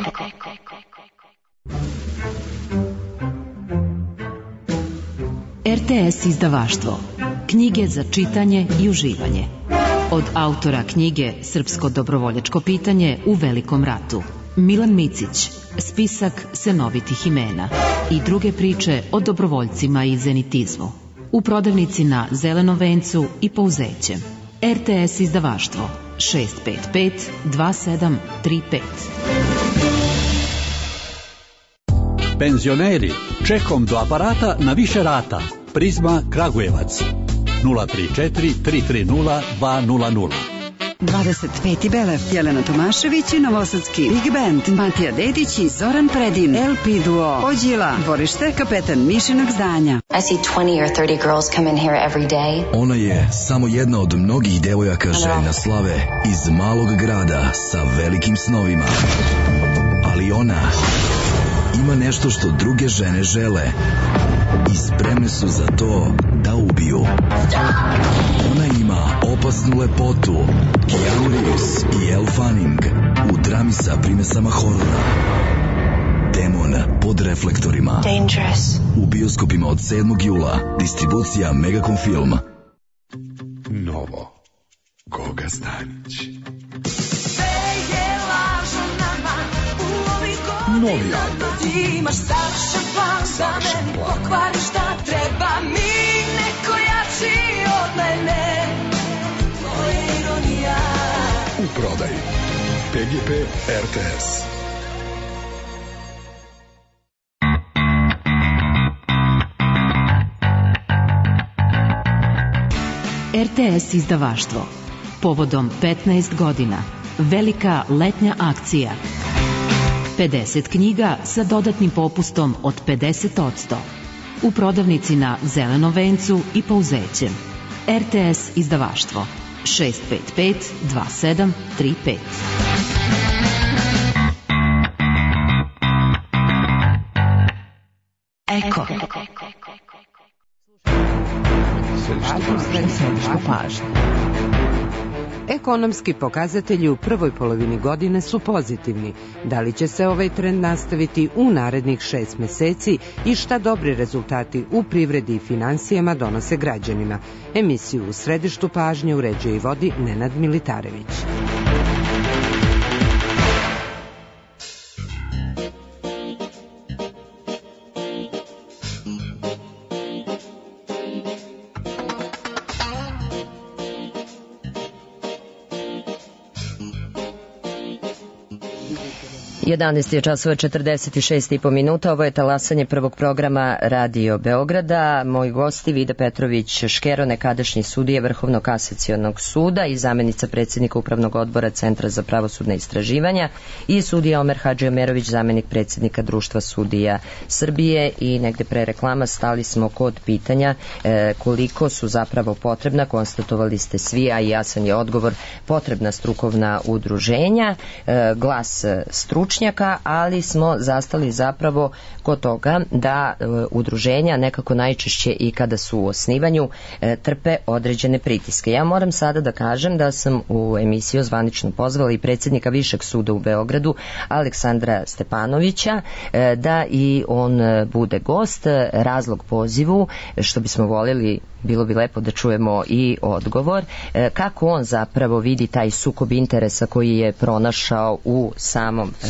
D: R T S izdavaštvo. Knjige za čitanje i uživanje. Od autora knjige Srpsko dobrovoljačko pitanje u Velikom ratu. Milan Micić, spisak senovitih imena i druge priče o dobrovoljcima i zenitizmu. U prodavnici na Zelenom vencu i Pouzećem. R T S izdavaštvo šest pet pet dva sedam tri pet.
I: Penzioneri, čekom do aparata na više rata. Prizma Kragujevac nula tri četiri tri tri nula dva nula nula.
J: dvadeset peti Belev, Jelena Tomašević i Novosadski Big Band, Matija Dedić i Zoran Predin, L P Duo, Ođila, dvorište kapetan Mišinog zdanja.
K: I see twenty or thirty girls come in here every day.
L: Ona je samo jedna od mnogih devojaka željna slave iz malog grada sa velikim snovima. Ali ona ima nešto što druge žene žele. i spremne su za to da ubiju. Ona ima opasnu lepotu, Keanu Reeves i Elle Fanning u drami sa primesama horora. Demon pod reflektorima.
K: Dangerous.
L: U bioskopima od sedmog jula. Distribucija Megacom Film.
M: Novo. Goga Stanić. Novi album.
E: Imaš savršen plan za meni, pokvari šta treba mi, neko jači od mene. Tvoja ironija.
M: U prodaji. P G P R T S.
D: R T S izdavaštvo. Povodom petnaest godina. Velika letnja akcija. pedeset knjiga sa dodatnim popustom od pedeset posto. U prodavnici na Zelenom vencu i Pouzećem. R T S izdavaštvo. šest pet pet dva sedam tri pet.
E: Eko.
N: Središtu pažnje. Ekonomski pokazatelji u prvoj polovini godine su pozitivni. Da li će se ovaj trend nastaviti u narednih šest meseci i šta dobri rezultati u privredi i finansijama donose građanima? Emisiju u središtu pažnje uređuje i vodi Nenad Militarević.
B: jedanaest je časova četrdeset šest i po minuta. Ovo je talasanje prvog programa Radio Beograda. Moji gosti Vida Petrović Škero, nekadašnji sudije Vrhovnog kasacionog suda i zamenica predsjednika Upravnog odbora Centra za pravosudne istraživanja, i sudija Omer Hadžiomerović, zamenik predsjednika Društva sudija Srbije. I negde pre reklama stali smo kod pitanja e, koliko su zapravo potrebna, konstatovali ste svi, a i jasan je odgovor, potrebna strukovna udruženja, e, glas stručnjaka, ali smo zastali zapravo kod toga da e, udruženja nekako najčešće i kada su u osnivanju e, trpe određene pritiske. Ja moram sada da kažem da sam u emisiju zvanično pozvala i predsjednika Višeg suda u Beogradu, Aleksandra Stepanovića, e, da i on bude gost. Razlog pozivu, što bismo voljeli, bilo bi lepo da čujemo i odgovor, e, kako on zapravo vidi taj sukob interesa koji je pronašao u samom e,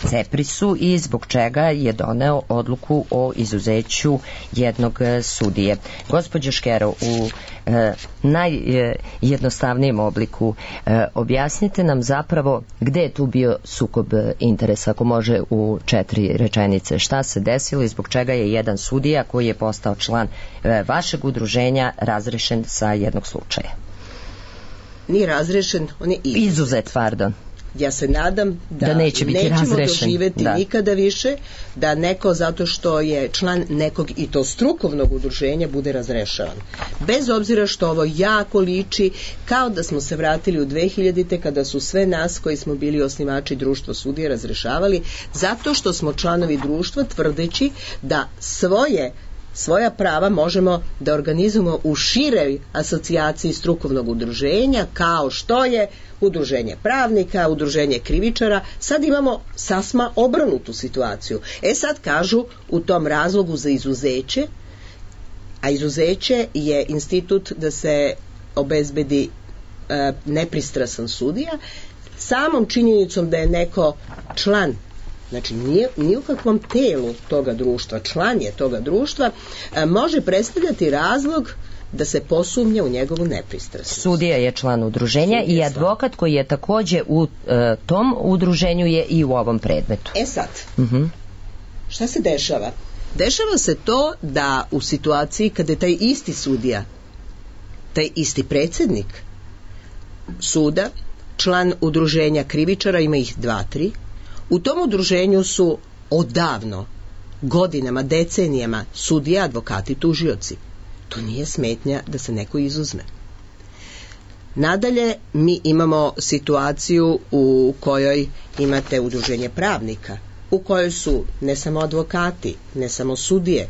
B: Ceprisu i zbog čega je doneo odluku o izuzeću jednog sudije. Gospođo Škero, u e, najjednostavnijem obliku e, objasnite nam zapravo gde je tu bio sukob interesa, ako može u četiri rečenice. Šta se desilo i zbog čega je jedan sudija koji je postao član e, vašeg udruženja razrešen sa jednog slučaja?
G: Nije razrešen, on je izuzet.
B: Izuzet, pardon.
G: Ja se nadam da,
B: da neće biti
G: nećemo
B: razrešen.
G: doživeti
B: da.
G: nikada više da neko zato što je član nekog i to strukovnog udruženja bude razrešavan. Bez obzira što ovo jako liči kao da smo se vratili u dve hiljadite kada su sve nas koji smo bili osnivači društva sudija razrešavali zato što smo članovi društva tvrdeći da svoje svoja prava možemo da organizujemo u široj asocijaciji strukovnog udruženja, kao što je udruženje pravnika, udruženje krivičara. Sad imamo sasma obrnutu situaciju. E sad kažu u tom razlogu za izuzeće, a izuzeće je institut da se obezbedi e, nepristrasan sudija, samom činjenicom da je neko član, znači nije, nije u kakvom telu toga društva, član je toga društva, e, može predstavljati razlog da se posumnja u njegovu nepristrasnost.
B: Sudija je član udruženja i advokat koji je takođe u e, tom udruženju je i u ovom predmetu.
G: E sad,
B: uh-huh.
G: šta se dešava? Dešava se to da u situaciji kada je taj isti sudija, taj isti predsjednik suda, član udruženja krivičara, ima ih dva, tri, u tom udruženju su odavno, godinama, decenijama sudije, advokati, tužioci. To nije smetnja da se neko izuzme. Nadalje, mi imamo situaciju u kojoj imate udruženje pravnika, u kojoj su ne samo advokati, ne samo sudije,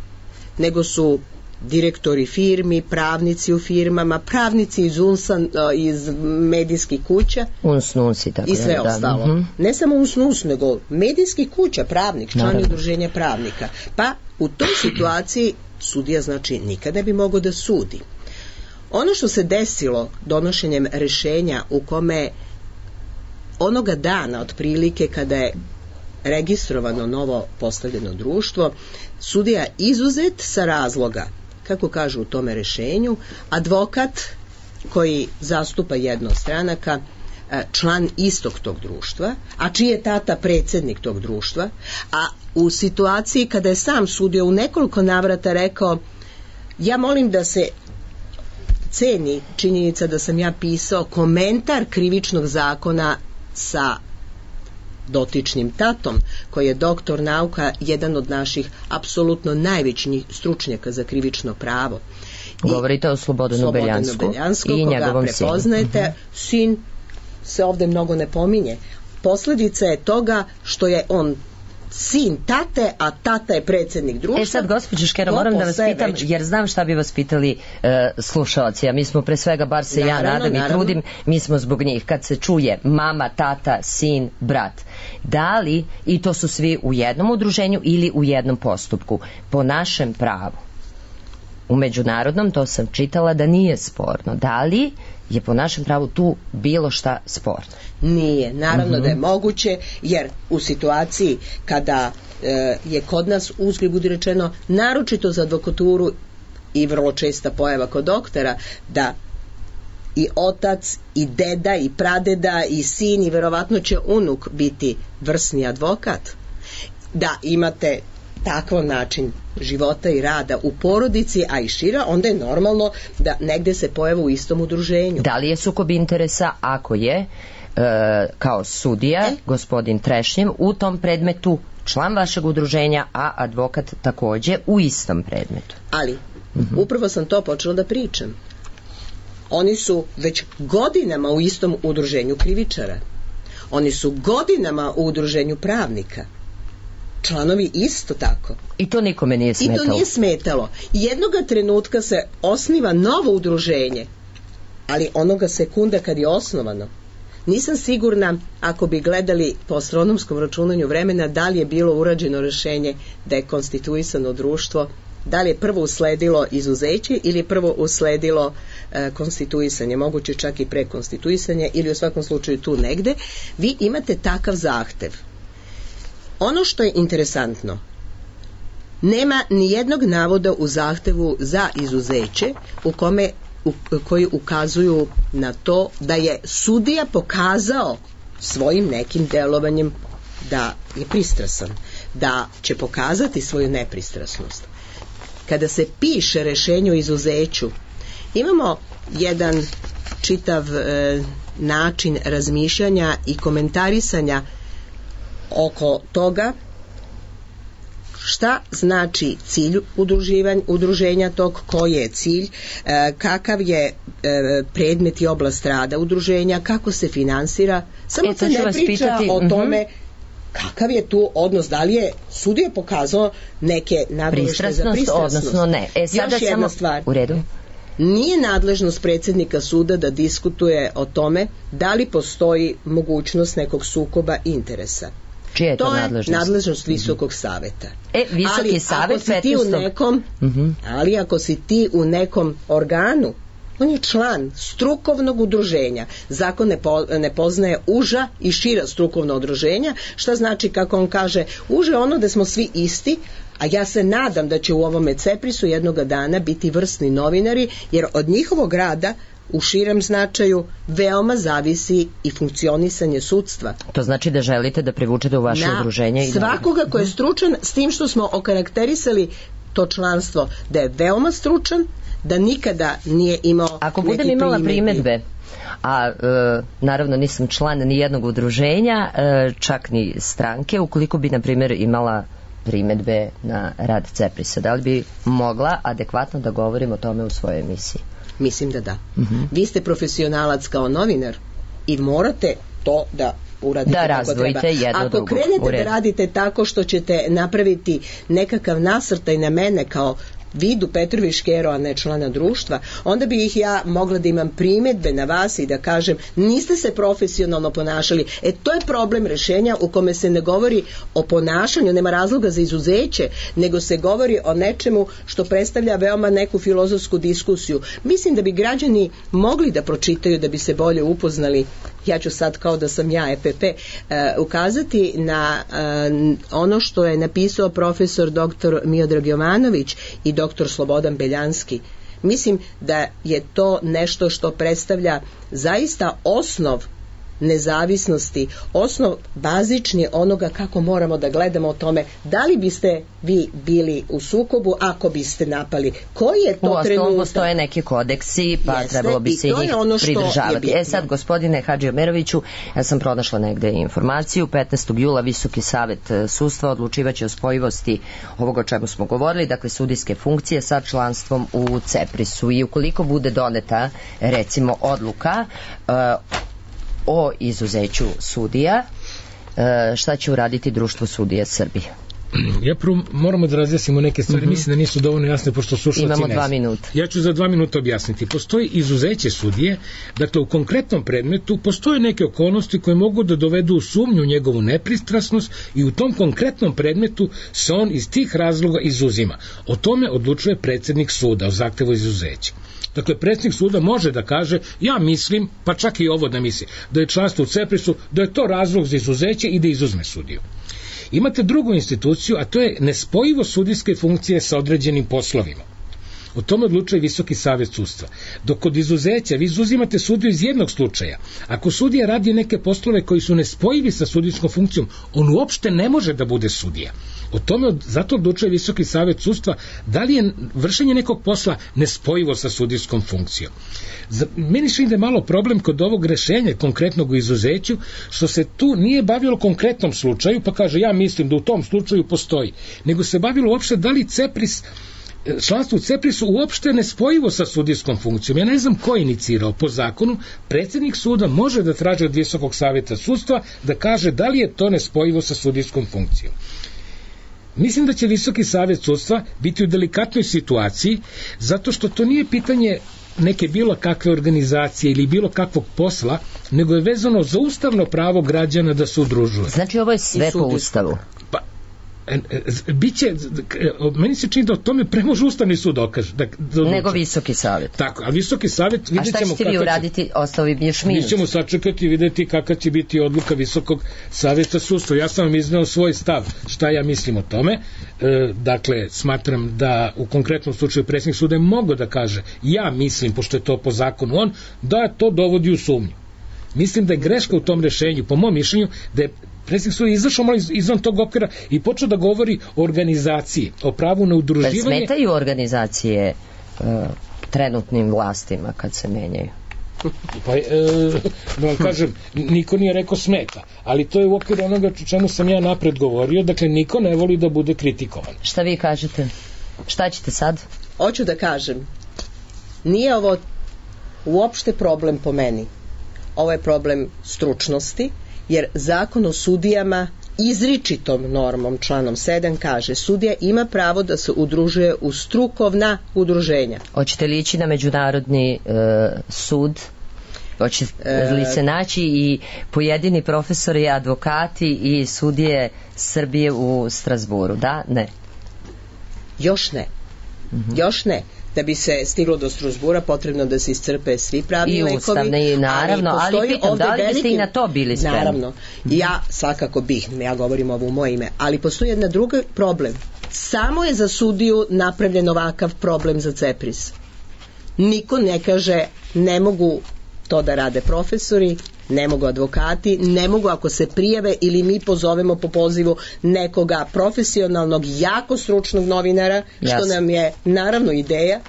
G: nego su direktori firmi, pravnici u firmama, pravnici iz unsan, iz medijskih kuća
B: uns, nuns i, tako
G: i sve
B: da,
G: ostalo.
B: Mm-hmm.
G: Ne samo uns, nuns, nego medijskih kuća, pravnik, član udruženja pravnika. Pa u toj situaciji sudija znači nikada ne bi mogao da sudi. Ono što se desilo donošenjem rešenja u kome onoga dana otprilike kada je registrovano novo postavljeno društvo, sudija izuzet sa razloga, kako kažu u tome rešenju, advokat koji zastupa jedno od stranaka, član istog tog društva, a čiji je tata predsjednik tog društva, a u situaciji kada je sam sudio u nekoliko navrata rekao, ja molim da se ceni činjenica da sam ja pisao komentar krivičnog zakona sa dotičnim tatom, koji je doktor nauka, jedan od naših apsolutno najvećih stručnjaka za krivično pravo.
B: Govorite o Slobodanu Beljansku i njegovom sinu.
G: Prepoznajete, uh-huh. sin se ovde mnogo ne pominje. Posledica je toga što je on sin tate, a tata je predsjednik društva.
B: E sad, gospođo Škero, moram da vas pitam, već... jer znam šta bi vas pitali e, slušalci, a mi smo pre svega, bar se naravno, ja nadam naravno. i trudim, mi smo zbog njih. Kad se čuje mama, tata, sin, brat, da li, i to su svi u jednom udruženju ili u jednom postupku, po našem pravu, u međunarodnom, to sam čitala da nije sporno, da li je po našem pravu tu bilo šta sporno?
G: Nije, naravno uh-huh. da je moguće, jer u situaciji kada e, je kod nas, uzgred budi rečeno, naročito za advokaturu i vrlo česta pojava kod doktora, da i otac, i deda, i pradeda, i sin, i verovatno će unuk biti vrsni advokat, da imate takav način života i rada u porodici, a i šira, onda je normalno da negde se pojave u istom udruženju.
B: Da li je sukob interesa ako je e, kao sudija, e? gospodin Trešnjev, u tom predmetu član vašeg udruženja, a advokat takođe u istom predmetu?
G: Ali, uh-huh. upravo sam to počela da pričam. Oni su već godinama u istom udruženju krivičara. Oni su godinama u udruženju pravnika. Članovi isto tako.
B: I to nikome nije smetalo.
G: I to nije smetalo. Jednoga trenutka se osniva novo udruženje, ali onoga sekunda kad je osnovano, nisam sigurna, ako bi gledali po astronomskom računanju vremena, da li je bilo urađeno rešenje da je konstituisano društvo, da li je prvo usledilo izuzeće ili je prvo usledilo e, konstituisanje, moguće čak i prekonstituisanje, ili u svakom slučaju tu negde. Vi imate takav zahtev. Ono što je interesantno, nema ni jednog navoda u zahtevu za izuzeće u kome u, koji ukazuju na to da je sudija pokazao svojim nekim delovanjem da je pristrasan, da će pokazati svoju nepristrasnost. Kada se piše rešenje o izuzeću, imamo jedan čitav e, način razmišljanja i komentarisanja oko toga šta znači cilj udruženja tog, koji je cilj, e, kakav je e, predmet i oblast rada udruženja, kako se finansira, samo se ne priča pitati, o tome uh-huh. kakav je tu odnos, da li je sudija pokazao neke nagoveštaje za pristrasnost,
B: odnosno ne. E, sada
G: još jedna
B: samo...
G: stvar.
B: U redu.
G: Nije nadležnost predsjednika suda da diskutuje o tome da li postoji mogućnost nekog sukoba interesa.
B: Čija je to, to
G: nadležnost? To je nadležnost Visokog saveta.
B: E, Visoki
G: ali
B: savet
G: ako si ti u nekom, uh-huh. ali ako si ti u nekom organu, on je član strukovnog udruženja. Zakon ne, po, ne poznaje uža i šira strukovna udruženja, šta znači, kako on kaže, uže ono da smo svi isti, a ja se nadam da će u ovome CEPRIS-u jednoga dana biti vrsni novinari, jer od njihovog rada u širem značaju veoma zavisi i funkcionisanje sudstva.
B: To znači da želite da privučete u vaše
G: na
B: udruženje i
G: svakoga ko je stručan, s tim što smo okarakterisali to članstvo da je veoma stručan, da nikada nije imao
B: ako budem imala primedbe, a e, naravno nisam član ni jednog udruženja, e, čak ni stranke, ukoliko bi na primjer imala primedbe na rad CEPRIS-a, da li bi mogla adekvatno da govorim o tome u svojoj emisiji?
G: Mislim da da. Uh-huh. Vi ste profesionalac kao novinar i morate to da uradite
B: da
G: kako treba.
B: Jedno
G: Ako
B: drugo,
G: krenete da radite tako što ćete napraviti nekakav nasrtaj na mene kao vidu Petrovi Škero, a ne člana društva, onda bi ih ja mogla da imam primedbe na vas i da kažem niste se profesionalno ponašali. E to je problem rešenja u kome se ne govori o ponašanju, nema razloga za izuzeće, nego se govori o nečemu što predstavlja veoma neku filozofsku diskusiju. Mislim da bi građani mogli da pročitaju, da bi se bolje upoznali. Ja ću sad, kao da sam ja E P P, uh, ukazati na uh, ono što je napisao profesor doktor Miodrag Jovanović i doktor Slobodan Beljanski. Mislim da je to nešto što predstavlja zaista osnov nezavisnosti, osnov bazični onoga kako moramo da gledamo o tome da li biste vi bili u sukobu ako biste napali. Koji je to trenutak? U
B: postoje neki kodeksi, pa jeste, trebalo bi se njih ono pridržavati. E sad, gospodine Hadži Omeroviću, ja sam pronašla negde informaciju, petnaestog jula Visoki savet sudstva odlučivaće o spojivosti ovoga o čemu smo govorili, dakle sudijske funkcije sa članstvom u CEPRIS-u, i ukoliko bude doneta recimo odluka uh, o izuzeću sudija, šta će uraditi Društvo sudija Srbije?
H: Ja prvo moramo da razjasnimo neke stvari, mm-hmm. mislim da nisu dovoljno jasne pošto slušalci ne znaju.
B: Imamo dva minuta.
H: Ja ću za dva minuta objasniti. Postoji izuzeće sudije, dakle u konkretnom predmetu postoje neke okolnosti koje mogu da dovedu u sumnju njegovu nepristrasnost i u tom konkretnom predmetu se on iz tih razloga izuzima. O tome odlučuje predsednik suda o zahtevu izuzeća. Dakle, predsjednik suda može da kaže, ja mislim, pa čak i ovo da misli, da je članstvo u CEPRIS-u, da je to razlog za izuzeće i da izuzme sudiju. Imate drugu instituciju, a to je nespojivo sudijske funkcije sa određenim poslovima. O tome odlučuje Visoki savet sudstva. Dok kod izuzeća vi izuzimate sudiju iz jednog slučaja. Ako sudija radi neke poslove koji su nespojivi sa sudijskom funkcijom, on uopšte ne može da bude sudija. O tome zato odlučuje Visoki savet sudstva da li je vršenje nekog posla nespojivo sa sudijskom funkcijom. Za, meni se ide malo problem kod ovog rešenja konkretnog u izuzeću, što se tu nije bavilo konkretnom slučaju, pa kaže ja mislim da u tom slučaju postoji, nego se bavilo uopšte da li CEPRIS, članstvo u CEPRIS-u uopšte nespojivo sa sudijskom funkcijom. Ja ne znam ko je inicirao. Po zakonu, predsjednik suda može da traži od Visokog saveta sudstva da kaže da li je to nespojivo sa sudijskom funkcijom. Mislim da će Visoki savet sudstva biti u delikatnoj situaciji, zato što to nije pitanje neke bilo kakve organizacije ili bilo kakvog posla, nego je vezano za ustavno pravo građana da se udružuje.
B: Znači ovo je sve po ustavu.
H: Pa, biće, meni se čini da o tome pre može Ustavni sud dokaže. Da, da
B: nego Visoki savet.
H: Tako, a Visoki savet vidjet ćemo...
B: A šta ćete vi uraditi, ostao bi još minut?
H: Mi ćemo sačekati i vidjeti kakva će biti odluka Visokog saveta sudstva. Ja sam vam izneo svoj stav, šta ja mislim o tome. E, dakle, smatram da u konkretnom slučaju predsjednik suda je mogao da kaže, ja mislim, pošto je to po zakonu on, da to dovodi u sumnju. Mislim da je greška u tom rešenju, po mom mišljenju, da je predsjednik suda izašao malo izvan tog okvira i počeo da govori o organizaciji, o pravu na udruživanje.
B: Pa smetaju organizacije uh, trenutnim vlastima kad se menjaju?
H: Pa, e, da vam kažem, niko nije rekao smeta, ali to je u okviru onoga čemu sam ja napred govorio, dakle niko ne voli da bude kritikovan.
B: Šta vi kažete? Šta ćete sad?
G: Hoću da kažem, nije ovo uopšte problem po meni. Ovo je problem stručnosti, jer zakon o sudijama izričitom normom, članom sedam, kaže sudija ima pravo da se udružuje u strukovna udruženja.
B: Hoćete li ići na međunarodni e, sud? Hoće li se naći i pojedini profesori, advokati i sudije Srbije u Strasburu? Da? Ne?
G: Još ne. Mm-hmm. Još ne. Da bi se stiglo do Strasbura potrebno da se iscrpe svi pravni lekovi.
B: I ustavne, i naravno, ali, ali pitam, da li biste veliki... i na to bili spremni?
G: Naravno, ja svakako bih, ja govorim ovo u moje ime, ali postoji jedna druga problem. Samo je za sudiju napravljen ovakav problem za CEPRIS. Niko ne kaže ne mogu to da rade profesori, ne mogu advokati, ne mogu ako se prijave ili mi pozovemo po pozivu nekoga profesionalnog, jako stručnog novinara, što Jasne. nam je naravno ideja,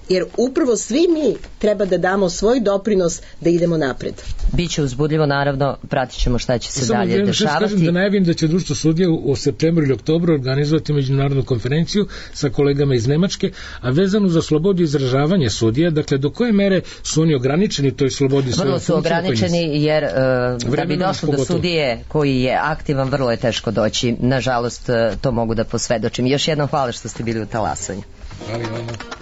G: jer upravo svi mi treba da damo svoj doprinos da idemo napred.
B: Biće uzbudljivo, naravno, pratit ćemo šta će se
H: Samo
B: dalje dešavati.
H: Samo da najavim da će Društvo sudija u septembru ili oktobru organizovati međunarodnu konferenciju sa kolegama iz Nemačke, a vezanu za slobodu izražavanja sudija, dakle do koje mere su oni ograničeni toj slobodi?
B: Vrlo su ograničeni jer uh, da bi došlo do sudije koji je aktivan, vrlo je teško doći. Nažalost, to mogu da posvedočim. Još jednom hvala što ste bili u Talasanju.
H: Hvala i vama.